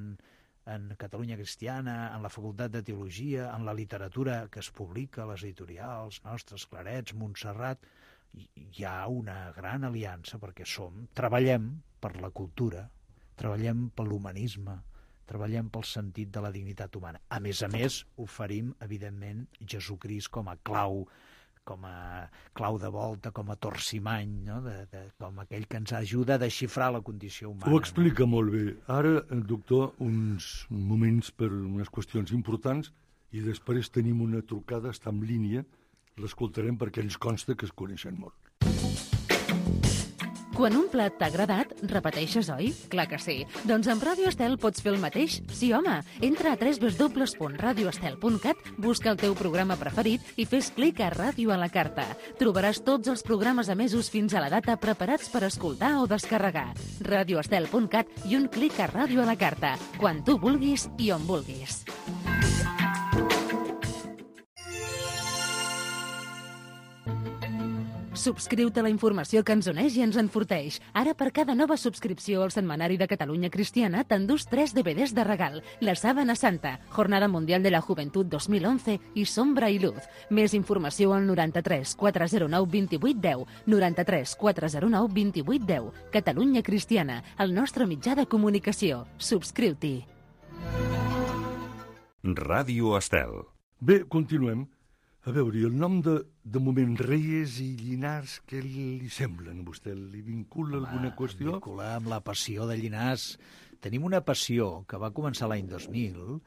en Catalunya Cristiana, en la Facultat de Teologia, en la literatura que es publica, les editorials nostres, Clarets, Montserrat, hi ha una gran aliança perquè som, treballem per la cultura, treballem per l'humanisme, treballem pel sentit de la dignitat humana. A més a més, oferim, evidentment, Jesucrist com a clau, com a clau de volta, com a torcimany, no? de, de, com aquell que ens ajuda a desxifrar la condició humana. Ho explica no? molt bé. Ara, doctor, uns moments per unes qüestions importants i després tenim una trucada, està en línia, l'escoltarem perquè ens consta que es coneixen molt. Quan un plat t'ha agradat, repeteixes, oi? Clar que sí. Doncs amb Ràdio Estel pots fer el mateix? Sí, home. Entra a w w w punt radio estel punt cat, busca el teu programa preferit i fes clic a Ràdio a la carta. Trobaràs tots els programes emesos fins a la data preparats per escoltar o descarregar. radio estel punt cat i un clic a Ràdio a la carta. Quan tu vulguis i on vulguis. Subscriu-te a la informació que ens uneix i ens enforteix. Ara, per cada nova subscripció al Setmanari de Catalunya Cristiana, t'endús tres D V Ds de regal. La Sábana Santa, Jornada Mundial de la Juventud dos mil onze i Sombra i Luz. Més informació al noranta-tres quatre zero nou vint-i-vuit deu, noranta-tres quatre zero nou vint-i-vuit deu. Catalunya Cristiana, el nostre mitjà de comunicació. Subscriu-t'hi. Ràdio Estel. Bé, continuem. A veure, i el nom de, de moment Reyes i Llinars, què li semblen a vostè? Li vincula Home, alguna qüestió? Em vincula amb la passió de Llinars. Tenim una passió que va començar l'any dos mil,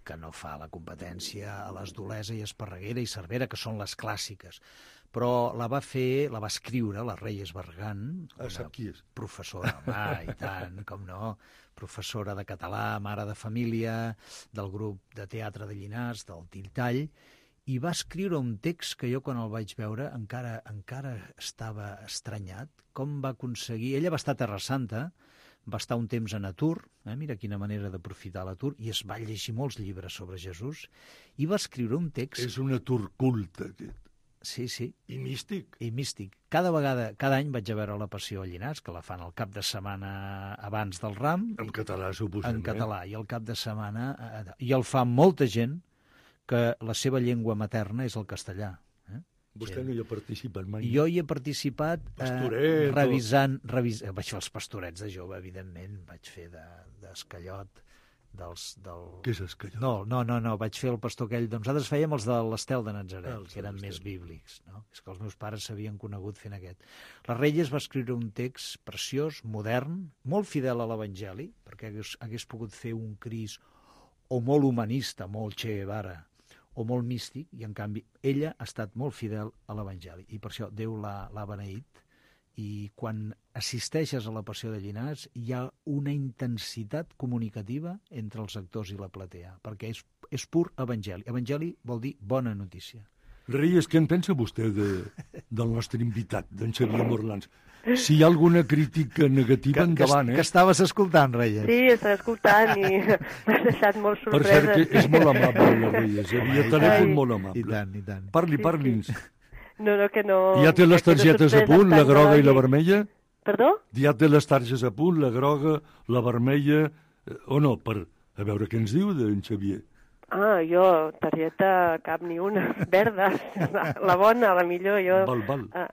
que no fa la competència a les d'Olesa i Esparreguera i Cervera, que són les clàssiques, però la va fer, la va escriure la Reyes Barragán, ah, sap qui és? Professora, home, i tant, com no, professora de català, mare de família, del grup de teatre de Llinars, del Tintall, i va escriure un text que jo quan el vaig veure encara encara estava estranyat, com va aconseguir... Ella va estar a Terra Santa, va estar un temps en atur, eh? Mira quina manera d'aprofitar l'atur, i es va llegir molts llibres sobre Jesús, i va escriure un text... És un atur culte, aquest. Sí, sí. I místic. I místic. Cada vegada, cada any vaig a veure la Passió a Llinars, que la fan el cap de setmana abans del Ram. En català, suposem. En català, i el cap de setmana... I el fa molta gent que la seva llengua materna és el castellà. Eh? Vostè no hi ha participat mai? Jo hi he participat eh, revisant... Revis... Vaig fer els pastorets de jove, evidentment. Vaig fer d'escallot. De, dels, del... Què és escallot? No, no, no, no, vaig fer el pastor aquell... Doncs nosaltres fèiem els de l'Estel de Natzaret, ah, que eren més bíblics. No? És que els meus pares s'havien conegut fent aquest. La Reyes va escriure un text preciós, modern, molt fidel a l'Evangeli, perquè hagués, hagués pogut fer un Crist o molt humanista, molt Che Guevara, o molt místic, i en canvi ella ha estat molt fidel a l'Evangeli, i per això Déu l'ha beneït, i quan assisteixes a la Passió de Llinars hi ha una intensitat comunicativa entre els actors i la platea, perquè és, és pur Evangeli. Evangeli vol dir bona notícia. Reyes, què en pensa vostè de, del nostre invitat, d'en Xavier Morlans? Si hi ha alguna crítica negativa, que, endavant, que, eh? Que estaves escoltant, Reyes. Sí, estava escoltant i m'has deixat molt sorpresa. Per cert, que és molt amable, la Reyes. Havia telèfon molt amable. I tant, i tant. Parli, parli'ns. No, no, que no... Ja té les targetes a punt, la groga i la vermella? Perdó? Ja té les targetes a punt, la groga, la vermella... O no, per... A veure què ens diu d'en Xavier. Ah, jo, targeta cap ni una, verda, la bona, la millor, jo... Val, val. Ah,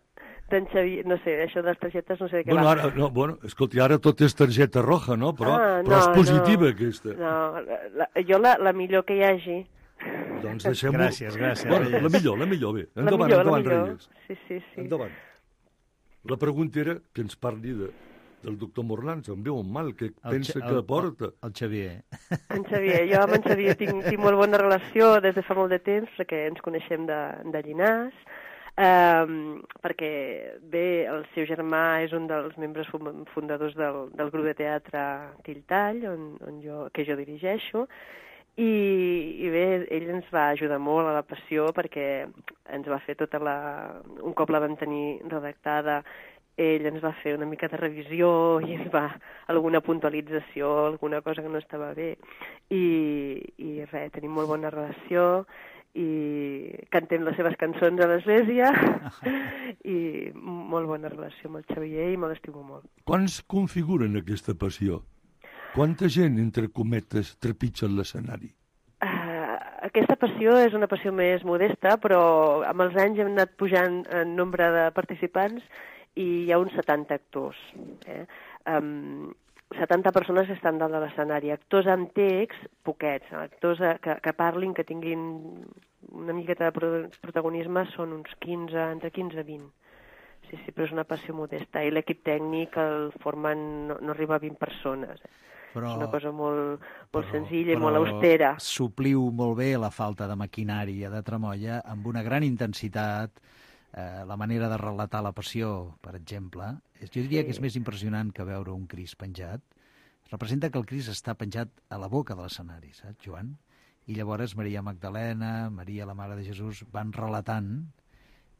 d'en Xavier, no sé, això de les targetes no sé de què bueno, va. Ara, no, bueno, escolti, ara tot és targeta roja, no? Però, ah, no, però és positiva, no, aquesta. No, la, la, jo la, la millor que hi hagi. Doncs deixem-ho... Gràcies, gràcies. Bueno, la millor, la millor, bé. Endavant, la millor, endavant, la millor. Reyes. Sí, sí, sí. Endavant. La pregunta era que ens parli de, del doctor Morlans, em veu un mal, que el pensa el, que porta. El, el Xavier. En Xavier, jo amb en Xavier tinc, tinc molt bona relació des de fa molt de temps, perquè ens coneixem de, de Llinars. Um, perquè, bé, el seu germà és un dels membres fundadors del, del grup de teatre Tilltall, on, on jo, que jo dirigeixo, i, i bé, ell ens va ajudar molt a la passió perquè ens va fer tota la... Un cop la vam tenir redactada, ell ens va fer una mica de revisió i ens va alguna puntualització, alguna cosa que no estava bé. I, i res, tenim molt bona relació, i cantem les seves cançons a l'església i molt bona relació amb el Xavier i me l'estimo molt. Quants configuren aquesta passió? Quanta gent, entre cometes, trepitja l'escenari? Uh, aquesta passió és una passió més modesta, però amb els anys hem anat pujant en nombre de participants i hi ha uns setanta actors. Eh? Um, setanta persones estan dalt de l'escenari. Actors amb text, poquets. Actors que, que parlin, que tinguin una miqueta de protagonisme, són uns quinze, entre quinze i vint. Sí, sí, però és una passió modesta. I l'equip tècnic el formen, no, no arriba a vint persones. Eh? Però, és una cosa molt, molt però, senzilla i molt austera. Supliu molt bé la falta de maquinari de Tramoia amb una gran intensitat. Eh, la manera de relatar la passió, per exemple, és, jo diria sí. que és més impressionant que veure un Crist penjat. Representa que el Crist està penjat a la boca de l'escenari, saps, Joan? I llavors Maria Magdalena, Maria, la Mare de Jesús, van relatant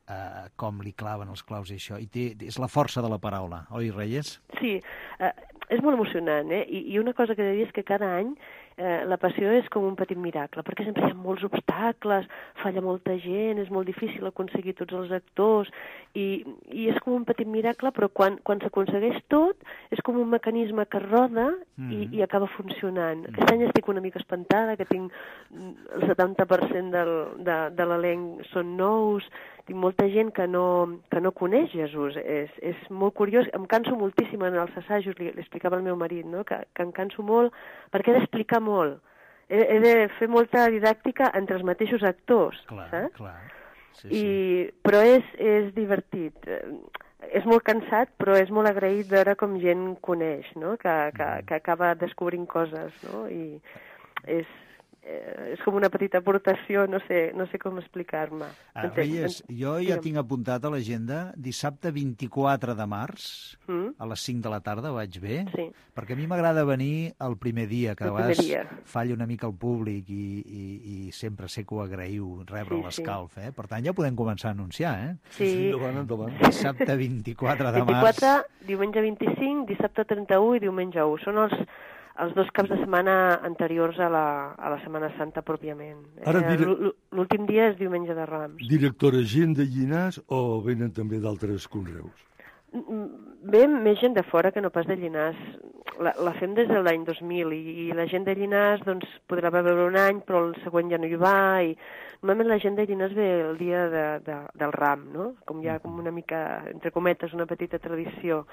eh, com li claven els claus i això. I té, és la força de la paraula, oi, Reyes? Sí, eh, és molt emocionant, eh? I, i una cosa que he de dir és que cada any eh, la passió és com un petit miracle, perquè sempre hi ha molts obstacles, falla molta gent, és molt difícil aconseguir tots els actors, i, i és com un petit miracle, però quan, quan s'aconsegueix tot, és com un mecanisme que roda mm. i, i acaba funcionant. Mm. Aquest any estic una mica espantada, que tinc el setanta per cent del, de, de l'elenc són nous, tinc molta gent que no, que no coneix Jesús. És, és molt curiós, em canso moltíssim en els assajos, li, li explicava al meu marit, no? que, que em canso molt, perquè he d'explicar molt. He, he de fer molta didàctica entre els mateixos actors, clar, saps? Clar. Sí, I, sí. Però és, és divertit. És molt cansat, però és molt agraït veure com gent coneix, no? que, que, que acaba descobrint coses, no? I és... és com una petita aportació, no sé, no sé com explicar-me. Ah, Reyes, jo ja tinc apuntat a l'agenda dissabte vint-i-quatre de març, mm? a les cinc de la tarda, vaig bé? Sí. Perquè a mi m'agrada venir el primer dia, que el a vegades dia. falla una mica el públic i, i, i sempre sé que ho agraïu, rebre sí, l'escalf, eh? Per tant, ja podem començar a anunciar, eh? Sí. Sí, endavant, endavant. Dissabte vint-i-quatre de març. vint-i-quatre, diumenge vint-i-cinc, dissabte trenta-u i diumenge u. Són els els dos caps de setmana anteriors a la, a la Setmana Santa pròpiament. Ara, eh, l'últim dia és diumenge de Rams. Directora, gent de Llinars o venen també d'altres conreus? Ve més gent de fora que no pas de Llinars. La, la fem des de l'any dos mil i, i la gent de Llinars doncs, podrà veure un any, però el següent ja no hi va. I normalment la gent de Llinars ve el dia de, de, del Ram, no? Com hi ha com una mica, entre cometes, una petita tradició.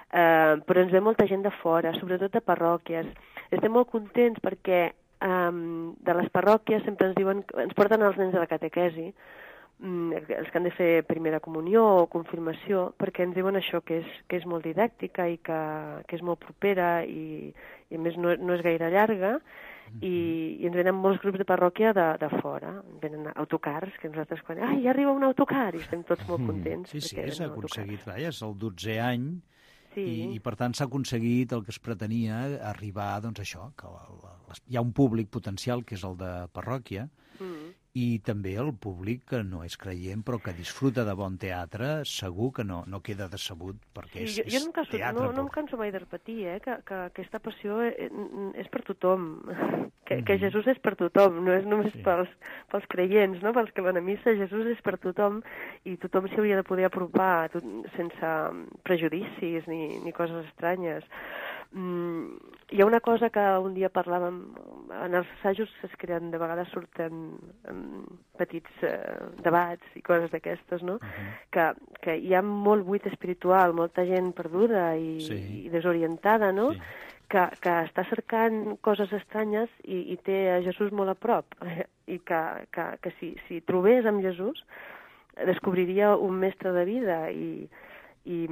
Uh, però ens ve molta gent de fora, sobretot de parròquies. Estem molt contents perquè um, de les parròquies sempre ens diuen, ens porten els nens a la catequesi, um, els que han de fer primera comunió o confirmació, perquè ens diuen això, que és, que és molt didàctica i que, que és molt propera i, i a més no, no és gaire llarga. I, i ens venen molts grups de parròquia de, de fora, venen autocars, que nosaltres quan... Ai, ja arriba un autocar! I estem tots molt contents. Sí, sí, s'ha aconseguit, vaja, és el dotzè any, sí. i, i per tant s'ha aconseguit el que es pretenia, arribar, doncs això, que la, la, hi ha un públic potencial, que és el de parròquia, mm. i també el públic que no és creient, però que disfruta de bon teatre, segur que no, no queda decebut, perquè és, sí, jo, jo no em canso, teatre. No, no em canso mai de repetir, eh, que, que aquesta passió és per tothom, que, que Jesús és per tothom, no és només sí. pels, pels creients, no? Pels que van a missa, Jesús és per tothom, i tothom s'hi hauria de poder apropar tot, sense prejudicis ni, ni coses estranyes. Mm, hi ha una cosa que un dia parlàvem, en els assajos es creen, de vegades surten um, petits uh, debats i coses d'aquestes, no? Uh-huh. que, que hi ha molt buit espiritual, molta gent perduda i, sí. i desorientada, no? Sí. Que, que està cercant coses estranyes i, i té a Jesús molt a prop, i que, que, que si, si trobés amb Jesús descobriria un mestre de vida i I,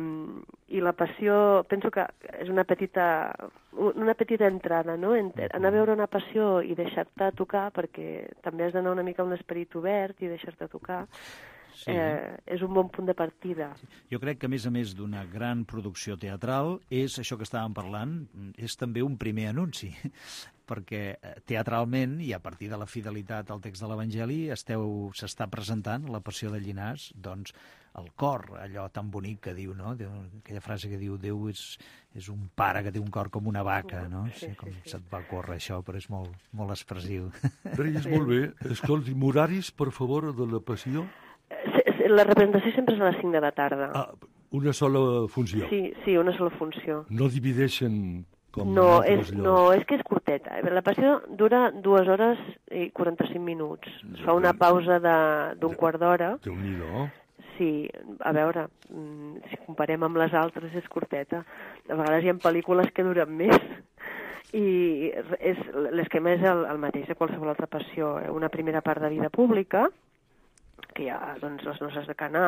i la passió, penso que és una petita, una petita entrada, no? Anar a veure una passió i deixar-te tocar, perquè també has d'anar una mica amb l'esperit obert i deixar-te tocar. sí. eh, és un bon punt de partida. Jo crec que, a més a més d'una gran producció teatral, és això que estàvem parlant, és també un primer anunci, perquè teatralment, i a partir de la fidelitat al text de l'Evangeli, esteu s'està presentant la Passió de Llinars, doncs, el cor, allò tan bonic que diu, no? Aquella frase que diu Déu és, és un pare que té un cor com una vaca, no? Sí, sí, com sí, sí. se't va córrer això, però és molt, molt expressiu. Reyes, molt bé. Escolti'm, horaris, per favor, de la Passió? La representació sempre és a les cinc de la tarda. Ah, una sola funció? Sí, sí, una sola funció. No divideixen com no, en és, altres llocs? no, és que és curteta. La Passió dura dues hores i quaranta-cinc minuts. Es fa una pausa d'un quart d'hora. Déu-n'hi-do. Sí, a veure, si comparem amb les altres és curteta. A vegades hi ha pel·lícules que duren més. I és, l'esquema és el, el mateix de qualsevol altra passió. Una primera part de vida pública, que hi ha doncs, les noces de Canà,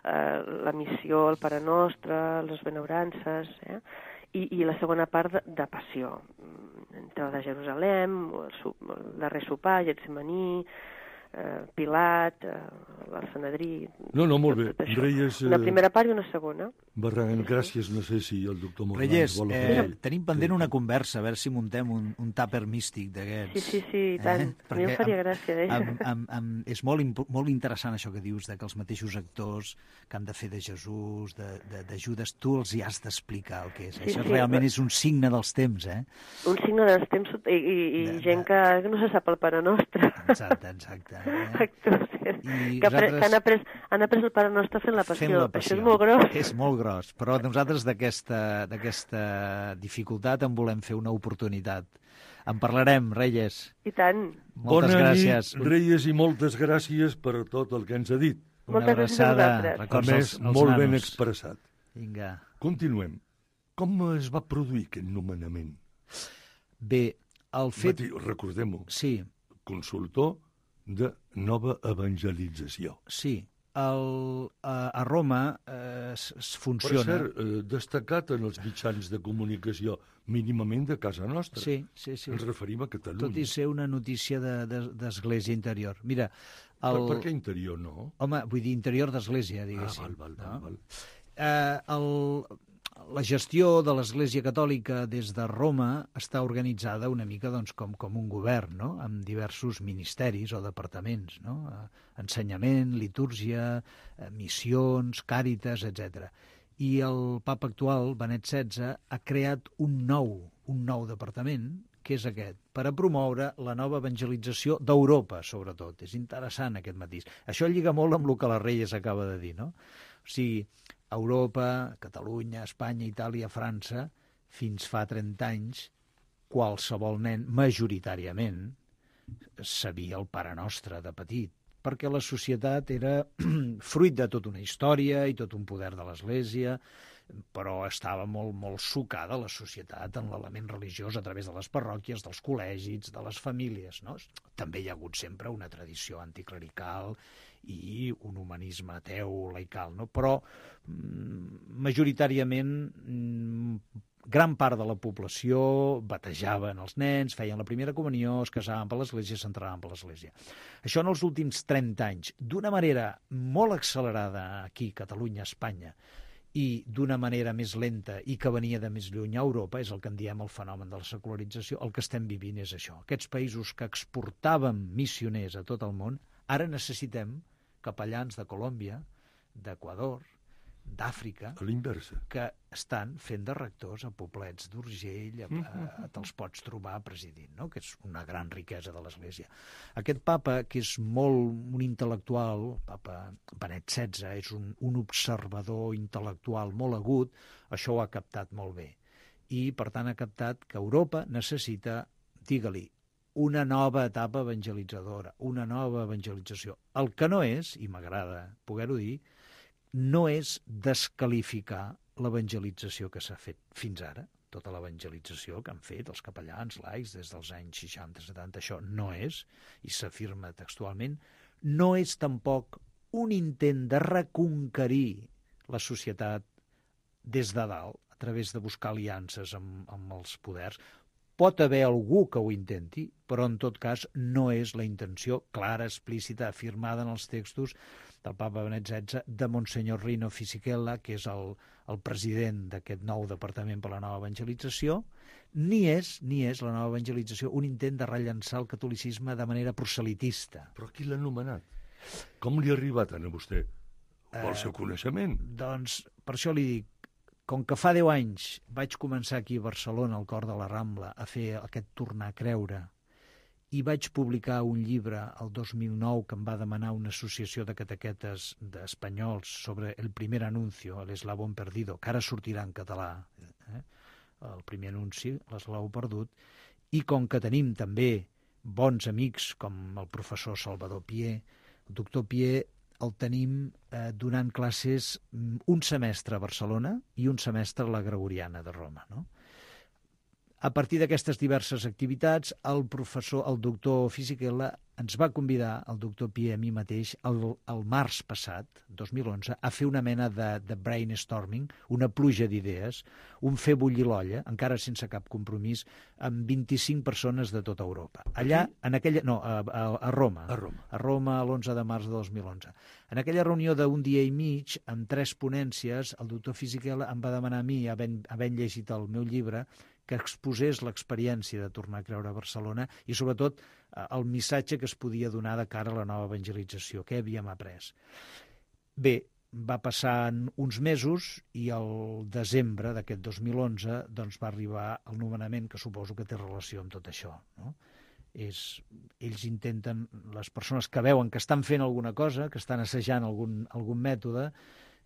eh, la missió, el Pare Nostre, les benaurances, eh? I, i la segona part de, de passió. Entrada de Jerusalem, el, el darrer sopar, Getsemaní, eh, Pilat, eh, el Sanedrí... No, no, molt bé. Reyes... Una primera part i una segona. Barragán, gràcies. No sé si el doctor Morgans Reyes, vol eh, afegir. tenim pendent una conversa, a veure si muntem un, un tàper místic d'aquests. Sí, sí, sí, i tant. Eh? A mi em faria gràcia, eh? Amb, amb, amb, és molt, imp molt interessant això que dius, de que els mateixos actors que han de fer de Jesús, de, de, de Judes, tu els hi has d'explicar el que és. Sí, això sí, realment però... és un signe dels temps, eh? Un signe dels temps i, i, i de, gent que, que no se sap el Pare Nostre. Exacte, exacte. Eh? Actors I que, nosaltres... que han, après, han après el Pare Nostre fent la passió. Fent la passió. Això és molt gros. És molt gros, però nosaltres d'aquesta dificultat en volem fer una oportunitat. En parlarem, Reyes. I tant. Moltes Bona gràcies. nit, Reyes, i moltes gràcies per tot el que ens ha dit. Una Moltes abraçada. gràcies A més, els, els molt nanos. ben expressat. Vinga. Continuem. Com es va produir aquest nomenament? Bé, el fet... Mati, recordem-ho, Sí, consultor de nova evangelització. sí. El, a, a Roma eh, es, es Per funciona... cert, eh, destacat en els mitjans de comunicació mínimament de casa nostra. Sí, sí, sí. Ens referim a Catalunya. Tot i ser una notícia d'església de, de, interior. Mira, el... Per, per què interior no? Home, vull dir interior d'església, Ah, diguéssim. val, val, val, no? val. Eh, el, la gestió de l'Església Catòlica des de Roma està organitzada una mica doncs, com, com un govern, no? Amb diversos ministeris o departaments, no? Ensenyament, litúrgia, missions, càritas, etcètera. I el papa actual, Benet setze, ha creat un nou, un nou departament, que és aquest, per a promoure la nova evangelització d'Europa, sobretot. És interessant aquest matís. Això lliga molt amb el que la Reyes acaba de dir, no? O sigui, Europa, Catalunya, Espanya, Itàlia, França, fins fa trenta anys, qualsevol nen, majoritàriament, sabia el Pare Nostre de petit, perquè la societat era fruit de tota una història i tot un poder de l'Església, però estava molt, molt sucada la societat en l'element religiós a través de les parròquies, dels col·legis, de les famílies, no? També hi ha hagut sempre una tradició anticlerical i un humanisme ateu, laical, no? Però mm, majoritàriament mm, gran part de la població batejaven els nens, feien la primera comunió, es casaven per l'Església, s'entraven per l'Església. Això en els últims trenta anys, d'una manera molt accelerada aquí, Catalunya, Espanya, i d'una manera més lenta i que venia de més lluny a Europa, és el que en diem el fenomen de la secularització, el que estem vivint és això. Aquests països que exportàvem missioners a tot el món, ara necessitem capellans de Colòmbia, d'Equador, d'Àfrica, A l'inversa. que estan fent de rectors a poblets d'Urgell, a, a, te'ls pots trobar presidint, no? Que és una gran riquesa de l'Església. Aquest papa, que és molt un intel·lectual, el papa Benet setze, és un, un observador intel·lectual molt agut, això ho ha captat molt bé. I, per tant, ha captat que Europa necessita, digue-li, una nova etapa evangelitzadora, una nova evangelització. El que no és, i m'agrada poder-ho dir, no és desqualificar l'evangelització que s'ha fet fins ara, tota l'evangelització que han fet els capellans laics des dels anys seixanta setanta, això no és, i s'afirma textualment, no és tampoc un intent de reconquerir la societat des de dalt, a través de buscar aliances amb, amb els poders. Pot haver algú que ho intenti, però en tot cas no és la intenció clara, explícita, afirmada en els textos del papa Benet setze, de Monsenyor Rino Fisichella, que és el, el president d'aquest nou Departament per la Nova Evangelització, ni és, ni és la nova evangelització un intent de rellançar el catolicisme de manera proselitista. Però qui l'ha anomenat? Com li ha arribat a vostè? O el seu coneixement? Eh, doncs, per això li dic, com que fa deu anys vaig començar aquí a Barcelona, al cor de la Rambla, a fer aquest tornar a creure, i vaig publicar un llibre el dos mil nou que em va demanar una associació de catequetes d'espanyols sobre el primer anuncio, l'eslabón perdido, que ara sortirà en català, eh? El primer anunci, l'eslabó perdut, i com que tenim també bons amics com el professor Salvador Pié, el doctor Pié el tenim eh, donant classes un semestre a Barcelona i un semestre a la Gregoriana de Roma, no? A partir d'aquestes diverses activitats, el professor, el doctor Fisichella, ens va convidar, el doctor Pié, a mi mateix, el, el març passat, dos mil onze, a fer una mena de, de brainstorming, una pluja d'idees, un fer bullir l'olla, encara sense cap compromís, amb vint-i-cinc persones de tota Europa. Allà, en aquella... No, a, a, a Roma. A Roma. A Roma, l'onze de març de dos mil onze. En aquella reunió d'un dia i mig, amb tres ponències, el doctor Fisichella em va demanar a mi, havent, havent llegit el meu llibre, que exposés l'experiència de tornar a creure a Barcelona i, sobretot, el missatge que es podia donar de cara a la nova evangelització, què havíem après. Bé, va passar uns mesos i el desembre d'aquest dos mil onze doncs, va arribar el nomenament, que suposo que té relació amb tot això, no? És, ells intenten, les persones que veuen que estan fent alguna cosa, que estan assajant algun, algun mètode,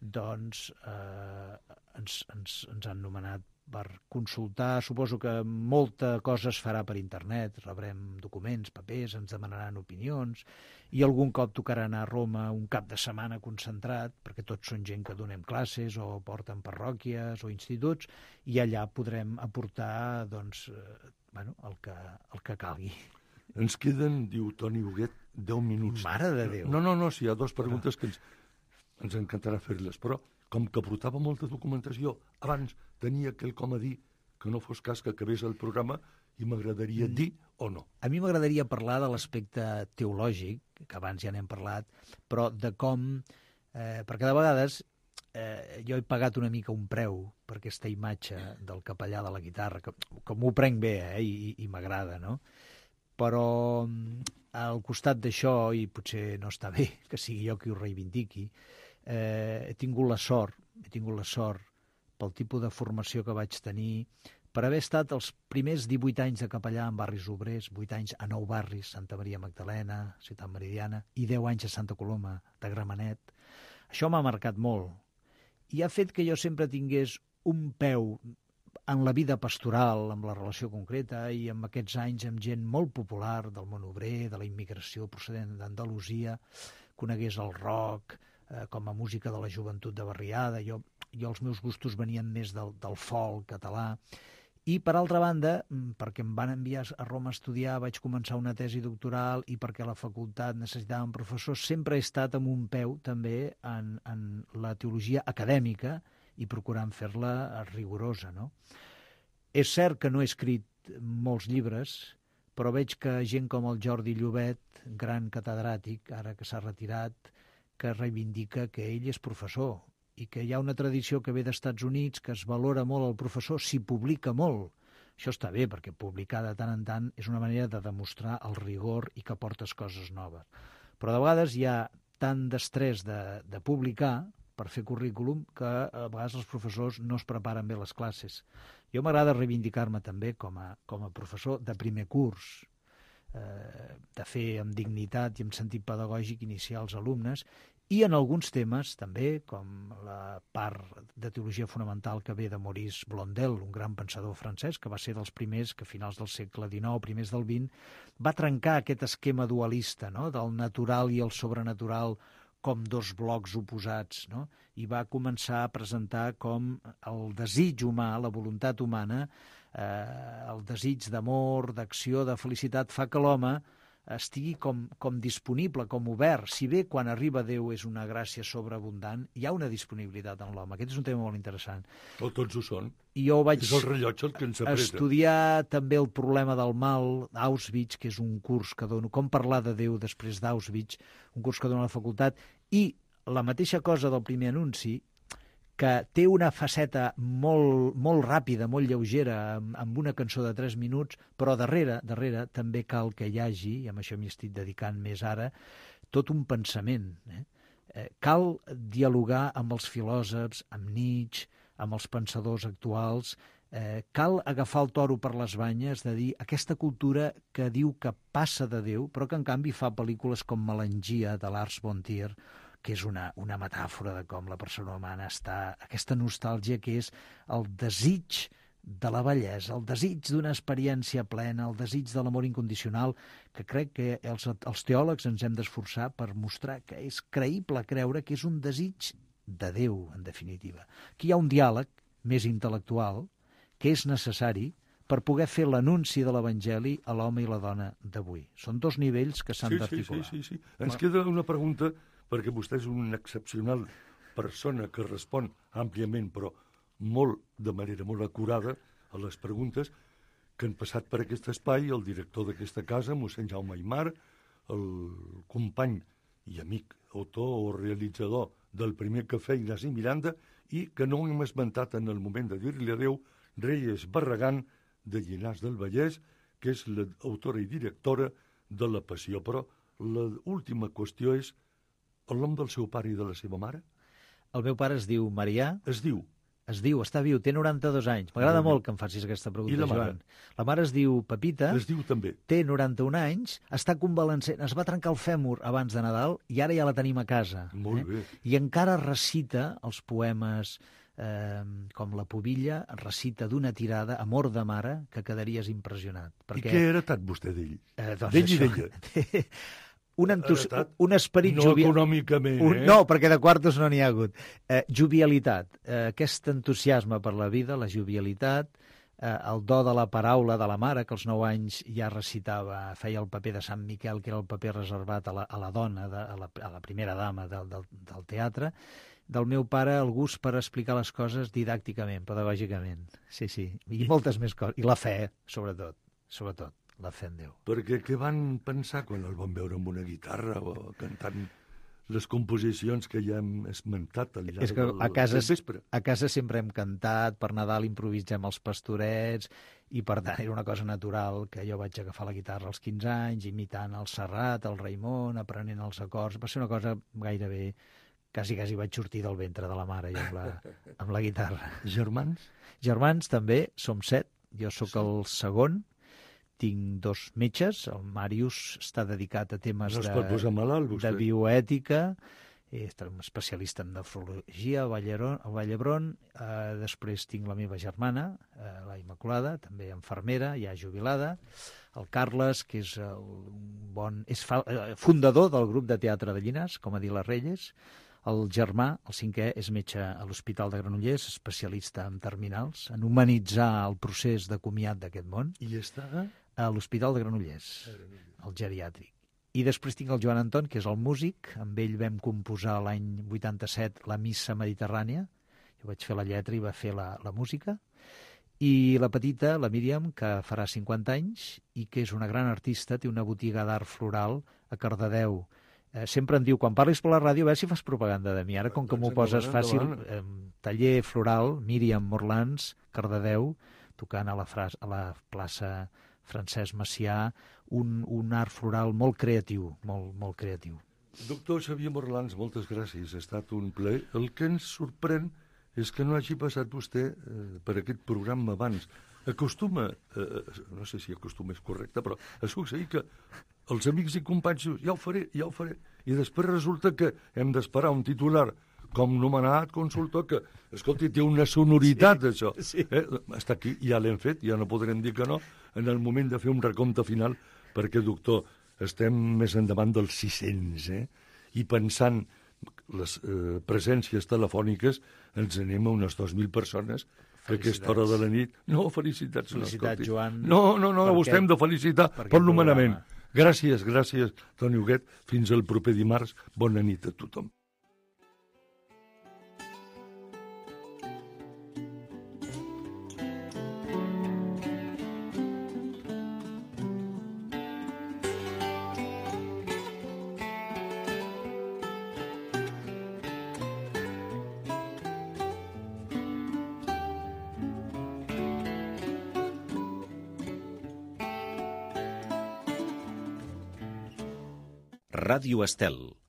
doncs eh, ens, ens, ens han nomenat per consultar. Suposo que molta cosa es farà per internet, rebrem documents, papers, ens demanaran opinions, i algun cop tocarà anar a Roma un cap de setmana concentrat, perquè tots són gent que donem classes o porten parròquies o instituts, i allà podrem aportar doncs, eh, bueno, el, que, el que calgui. Ens queden, diu Toni Huguet, deu minuts. Mare de Déu! No, no, no, sí, hi ha dues preguntes que ens, ens encantarà fer-les, però com que portava molta documentació, abans tenia quelcom a dir que no fos cas que acabés el programa i m'agradaria dir o no. A mi m'agradaria parlar de l'aspecte teològic, que abans ja n'hem parlat, però de com, eh, perquè de vegades eh, jo he pagat una mica un preu per aquesta imatge del capellà de la guitarra, que, que m'ho prenc bé eh, i, i m'agrada, no? Però al costat d'això, i potser no està bé que sigui jo qui ho reivindiqui, Eh, he tingut la sort, he tingut la sort pel tipus de formació que vaig tenir, per haver estat els primers divuit anys de capellà en barris obrers, vuit anys a nou barris, Santa Maria Magdalena, Ciutat Meridiana, i deu anys a Santa Coloma de Gramenet. Això m'ha marcat molt i ha fet que jo sempre tingués un peu en la vida pastoral, amb la relació concreta, i amb aquests anys amb gent molt popular del món obrer, de la immigració procedent d'Andalusia, conegués el rock, com a música de la joventut de barriada. Jo, jo els meus gustos venien més del, del folk català. I, per altra banda, perquè em van enviar a Roma a estudiar, vaig començar una tesi doctoral i perquè la facultat necessitava un professor, sempre he estat amb un peu també en, en la teologia acadèmica i procurant fer-la rigorosa, no? És cert que no he escrit molts llibres, però veig que gent com el Jordi Llobet, gran catedràtic, ara que s'ha retirat, que reivindica que ell és professor i que hi ha una tradició que ve d'Estats Units que es valora molt el professor si publica molt. Això està bé, perquè publicar de tant en tant és una manera de demostrar el rigor i que portes coses noves. Però de vegades hi ha tant d'estrès de, de publicar per fer currículum que a vegades els professors no es preparen bé les classes. Jo m'agrada reivindicar-me també com a, com a professor de primer curs, eh, de fer amb dignitat i amb sentit pedagògic iniciar els alumnes, i en alguns temes també, com la part de teologia fonamental que ve de Maurice Blondel, un gran pensador francès, que va ser dels primers que a finals del segle dinou, primers del vint, va trencar aquest esquema dualista, no?, del natural i el sobrenatural com dos blocs oposats, no?, i va començar a presentar com el desig humà, la voluntat humana, eh, el desig d'amor, d'acció, de felicitat, fa que l'home estigui com, com disponible, com obert. Si bé quan arriba Déu és una gràcia sobreabundant, hi ha una disponibilitat en l'home. Aquest és un tema molt interessant. O tots ho són. I jo vaig és el rellotge el que ens apreta. Estudiar també el problema del mal d'Auschwitz, que és un curs que dono, com parlar de Déu després d'Auschwitz, un curs que dono a la facultat, i la mateixa cosa del primer anunci, que té una faceta molt, molt ràpida, molt lleugera, amb, amb una cançó de tres minuts, però darrere, darrere també cal que hi hagi, i amb això m'hi estic dedicant més ara, tot un pensament. Eh? Eh, cal dialogar amb els filòsofs, amb Nietzsche, amb els pensadors actuals, eh, cal agafar el toro per les banyes de dir aquesta cultura que diu que passa de Déu, però que en canvi fa pel·lícules com Melangia, de Lars von Trier, que és una, una metàfora de com la persona humana està, aquesta nostàlgia que és el desig de la bellesa, el desig d'una experiència plena, el desig de l'amor incondicional, que crec que els, els teòlegs ens hem d'esforçar per mostrar que és creïble creure que és un desig de Déu, en definitiva. Aquí hi ha un diàleg més intel·lectual que és necessari per poder fer l'anunci de l'Evangeli a l'home i la dona d'avui. Són dos nivells que s'han sí, d'articular. Sí, sí, sí, sí. Ens queda una pregunta, perquè vostè és una excepcional persona que respon àmpliament, però molt, de manera molt acurada, a les preguntes que han passat per aquest espai el director d'aquesta casa, mossèn Jaume Aymar, el company i amic, autor o realitzador del primer cafè, Ignasi Miranda, i que no hem esmentat en el moment de dir-li adeu, Reyes Barragán, de Llinars del Vallès, que és l'autora i directora de La Passió. Però l'última qüestió és el nom del seu pare i de la seva mare? El meu pare es diu Marià. Es diu? Es diu, està viu, té noranta-dos anys. M'agrada molt que em facis aquesta pregunta, I la mare? Joan. La mare es diu Pepita. Es diu també. Té noranta-un anys, està convalescent, es va trencar el fèmur abans de Nadal i ara ja la tenim a casa. Molt eh? bé. I encara recita els poemes eh, com La Pubilla, recita d'una tirada, Amor de mare, que quedaries impressionat. Perquè... I què ha heretat vostè d'ell? Eh, doncs d'ell i això... d'ella? Un, entus... un esperit no jovial... econòmicament, un... eh? No, perquè de quartos no n'hi ha hagut. Eh, jovialitat, eh, aquest entusiasme per la vida, la jovialitat, eh, el do de la paraula de la mare, que als nou anys ja recitava, feia el paper de Sant Miquel, que era el paper reservat a la, a la dona, de, a, la, a la primera dama del, del, del teatre. Del meu pare el gust per explicar les coses didàcticament, pedagògicament. Sí, sí, i moltes més coses. I la fe, sobretot, sobretot. La fe en Déu. Perquè què van pensar quan el van veure amb una guitarra o cantant les composicions que ja hem esmentat al llarg És que del, a casa, del vespre? A casa sempre hem cantat, per Nadal improvisem els pastorets, i per tant era una cosa natural que jo vaig agafar la guitarra als quinze anys, imitant el Serrat, el Raimon, aprenent els acords. Va ser una cosa gairebé... Quasi, quasi vaig sortir del ventre de la mare jo amb la, amb la guitarra. Germans? Germans també, som set. Jo sóc sí. el segon. Tinc dos metges, el Màrius està dedicat a temes no de, malalt, de bioètica, és un especialista en nefrologia a Vallhebron, eh, després tinc la meva germana, eh, la Immaculada, també infermera, ja jubilada, el Carles, que és, el, un bon, és fa, eh, fundador del grup de teatre de Llinars, com a dir les Reyes, el germà, el cinquè, és metge a l'Hospital de Granollers, especialista en terminals, en humanitzar el procés de comiat d'aquest món. I està a l'Hospital de Granollers, el geriàtric. I després tinc el Joan Anton, que és el músic. Amb ell vam composar l'any vuitanta-set la Missa Mediterrània. Jo vaig fer la lletra i va fer la, la música. I la petita, la Míriam, que farà cinquanta anys i que és una gran artista, té una botiga d'art floral a Cardedeu. Eh, sempre em diu, quan parlis per la ràdio, a veure si fas propaganda de mi. Ara, com que m'ho poses fàcil, eh, taller floral, Míriam Morlans, Cardedeu, tocant a la, fras, a la plaça Francesc Macià, un, un art floral molt creatiu, molt, molt creatiu. Doctor Xavier Morlans, moltes gràcies, ha estat un plaer. El que ens sorprèn és que no hagi passat vostè eh, per aquest programa abans. Acostuma, eh, no sé si acostuma és correcte, però ha succeït que els amics i companys diuen, ja ho faré, ja ho faré, i després resulta que hem d'esperar un titular com nomenat consultor que, escolti, té una sonoritat, sí, això. Sí. Eh? Està aquí, ja l'hem fet, ja no podrem dir que no, en el moment de fer un recompte final, perquè, doctor, estem més endavant dels sis-cents, eh? I pensant les eh, presències telefòniques, ens anem a unes dos mil persones a aquesta hora de la nit. No, felicitats. Felicitats, no, Joan. No, no, no, vostè hem de felicitar per nomenament. Gràcies, gràcies, Toni Huguet. Fins el proper dimarts. Bona nit a tothom. Ràdio Estel.